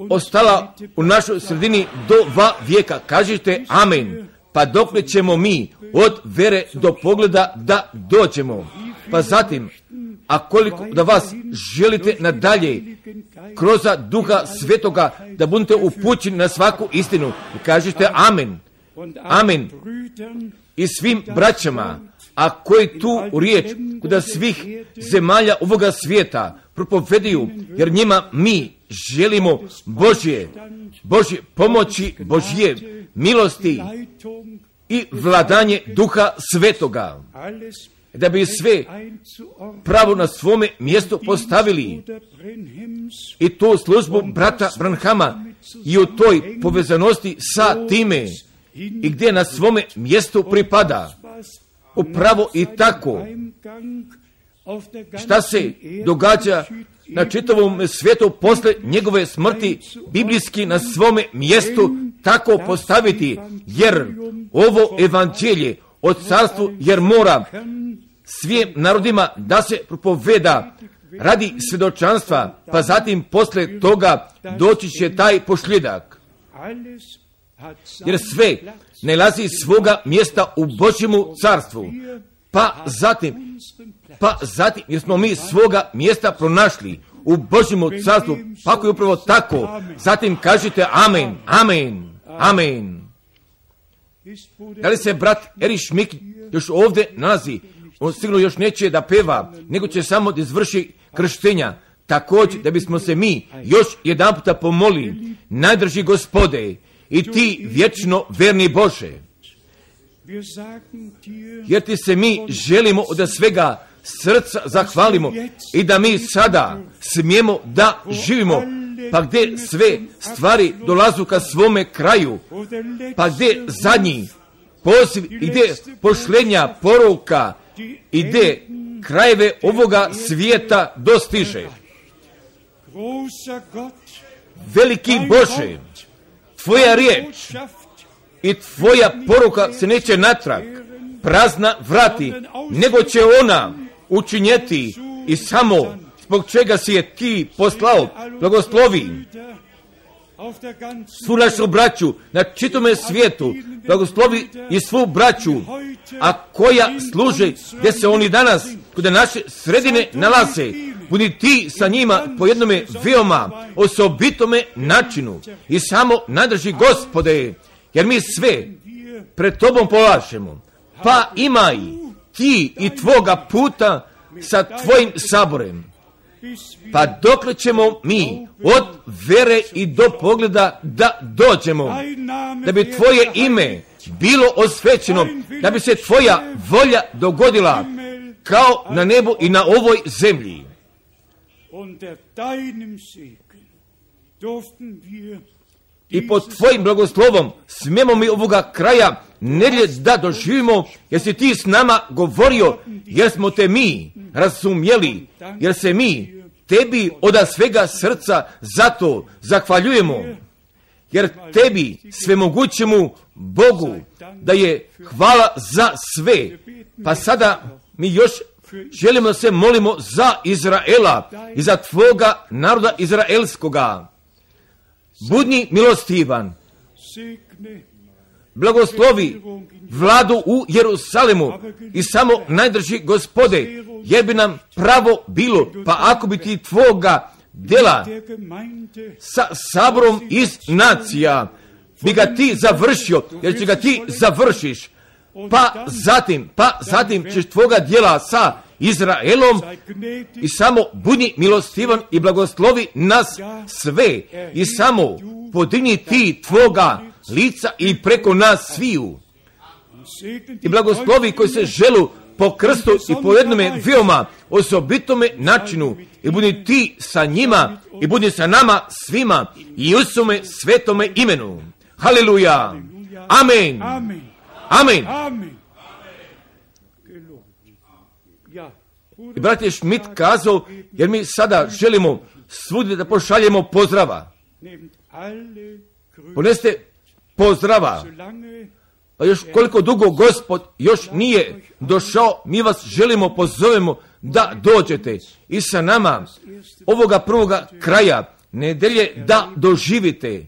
ostala u našoj sredini do 2 vijeka, kažite amen. Pa dokle ćemo mi od vere do pogleda da dođemo. Pa zatim, a koliko da vas želite nadalje kroz Duha Svetoga da budete upućeni na svaku istinu, kažite amen. Amen. I svim braćama, a koji tu riječ kod svih zemalja ovoga svijeta propoveduju, jer njima mi želimo Božje pomoći, Božje milosti i vladanje Duha Svetoga, da bi sve pravo na svome mjestu postavili i tu službu brata Branhama i u toj povezanosti sa time i gdje na svome mjestu pripada. Upravo i tako, šta se događa na čitavom svijetu posle njegove smrti, biblijski na svome mjestu tako postaviti, jer ovo evanđelje od carstvu, jer mora svim narodima da se propoveda radi svjedočanstva, pa zatim posle toga doći će taj posljedak. Jer sve nalazi svoga mjesta u Božjemu carstvu. Pa zatim, jer smo mi svoga mjesta pronašli u Božjemu carstvu, pa ako je upravo tako, zatim kažite amen, amen, amen. Da li se brat Erich Schmick još ovdje nalazi? On sigurno još neće da peva, nego će samo da izvrši krštenja. Također da bismo se mi još jedan puta pomolili, najdrži Gospode i ti vječno verni Bože, jer ti se mi želimo od svega srca zahvalimo i da mi sada smijemo da živimo, pa gdje sve stvari dolazu ka svome kraju, pa gdje zadnji poziv i gdje pošlenja poruka i gdje krajeve ovoga svijeta dostiže. Veliki Bože, tvoja riječ i tvoja poruka se neće natrag prazna vrati, nego će ona učinjeti i samo zbog čega si je ti poslao. Blagoslovi svu našu braću na čitome svijetu, blagoslovi i svu braću, a koja služe gdje se oni danas kod naše sredine nalaze. Budi ti sa njima po jednome veoma osobitome načinu i samo nadrži Gospode, jer mi sve pred tobom polažemo. Pa imaj ti i tvoga puta sa tvojim saborem. Pa dokle ćemo mi od vere i do pogleda da dođemo, da bi tvoje ime bilo osvećeno, da bi se tvoja volja dogodila kao na nebu i na ovoj zemlji. I pod tvojim blagoslovom smijemo mi ovoga kraja nedjelje da doživimo, jer si ti s nama govorio, jer smo te mi razumjeli, jer se mi tebi od svega srca zato zahvaljujemo, jer tebi svemogućemu Bogu da je hvala za sve. Pa sada mi još želimo se molimo za Izraela i za tvoga naroda izraelskoga. Budni milostivan, blagoslovi vladu u Jerusalimu i samo najdrži Gospode, jer bi nam pravo bilo, pa ako bi ti tvoga djela sa saborom iz nacija bi ga ti završio, jer će ga ti završiš, pa zatim ćeš tvoga djela sa Izraelom i samo budi milostivan i blagoslovi nas sve i samo podigni ti tvoga lica i preko nas sviju i blagoslovi koji se želu po krstu i po jednome veoma osobitome načinu i budi ti sa njima i budi sa nama svima i u svome svetome imenu. Haleluja. Amen. Amen. I brat je Schmidt kazao, jer mi sada želimo svugdje da pošaljemo pozdrava. Poneste pozdrava. Pa još koliko dugo Gospod još nije došao, mi vas želimo, pozovemo da dođete i sa nama ovoga prvoga kraja nedelje da doživite.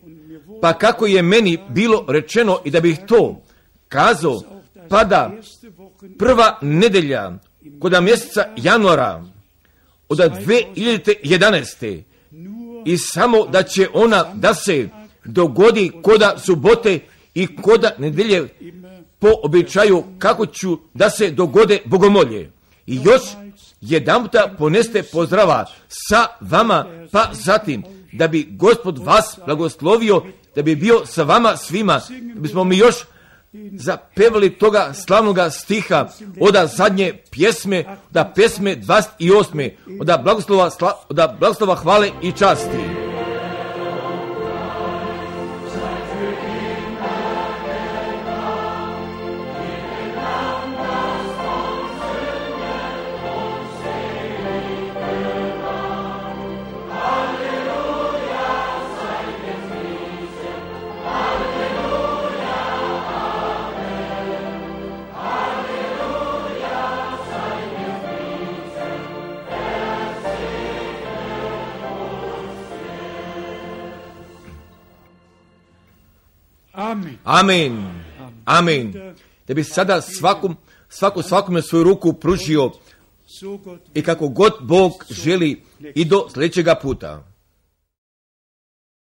Pa kako je meni bilo rečeno i da bih to kazao, pada prva nedelja kod mjeseca januara od 2011. i samo da će ona da se dogodi koda subote i koda nedelje po običaju kako ću da se dogode bogomolje. I još jedan puta poneste pozdrava sa vama, pa zatim da bi Gospod vas blagoslovio, da bi bio sa vama svima, da bismo mi još zapevali toga slavnoga stiha od zadnje pjesme, da pjesme 28. od blagoslova hvale i časti. Halleluja, sei gepriesen, Amen. Amen. Da bi sada svakome svoju ruku pružio i kako god Bog želi i do sljedećega puta.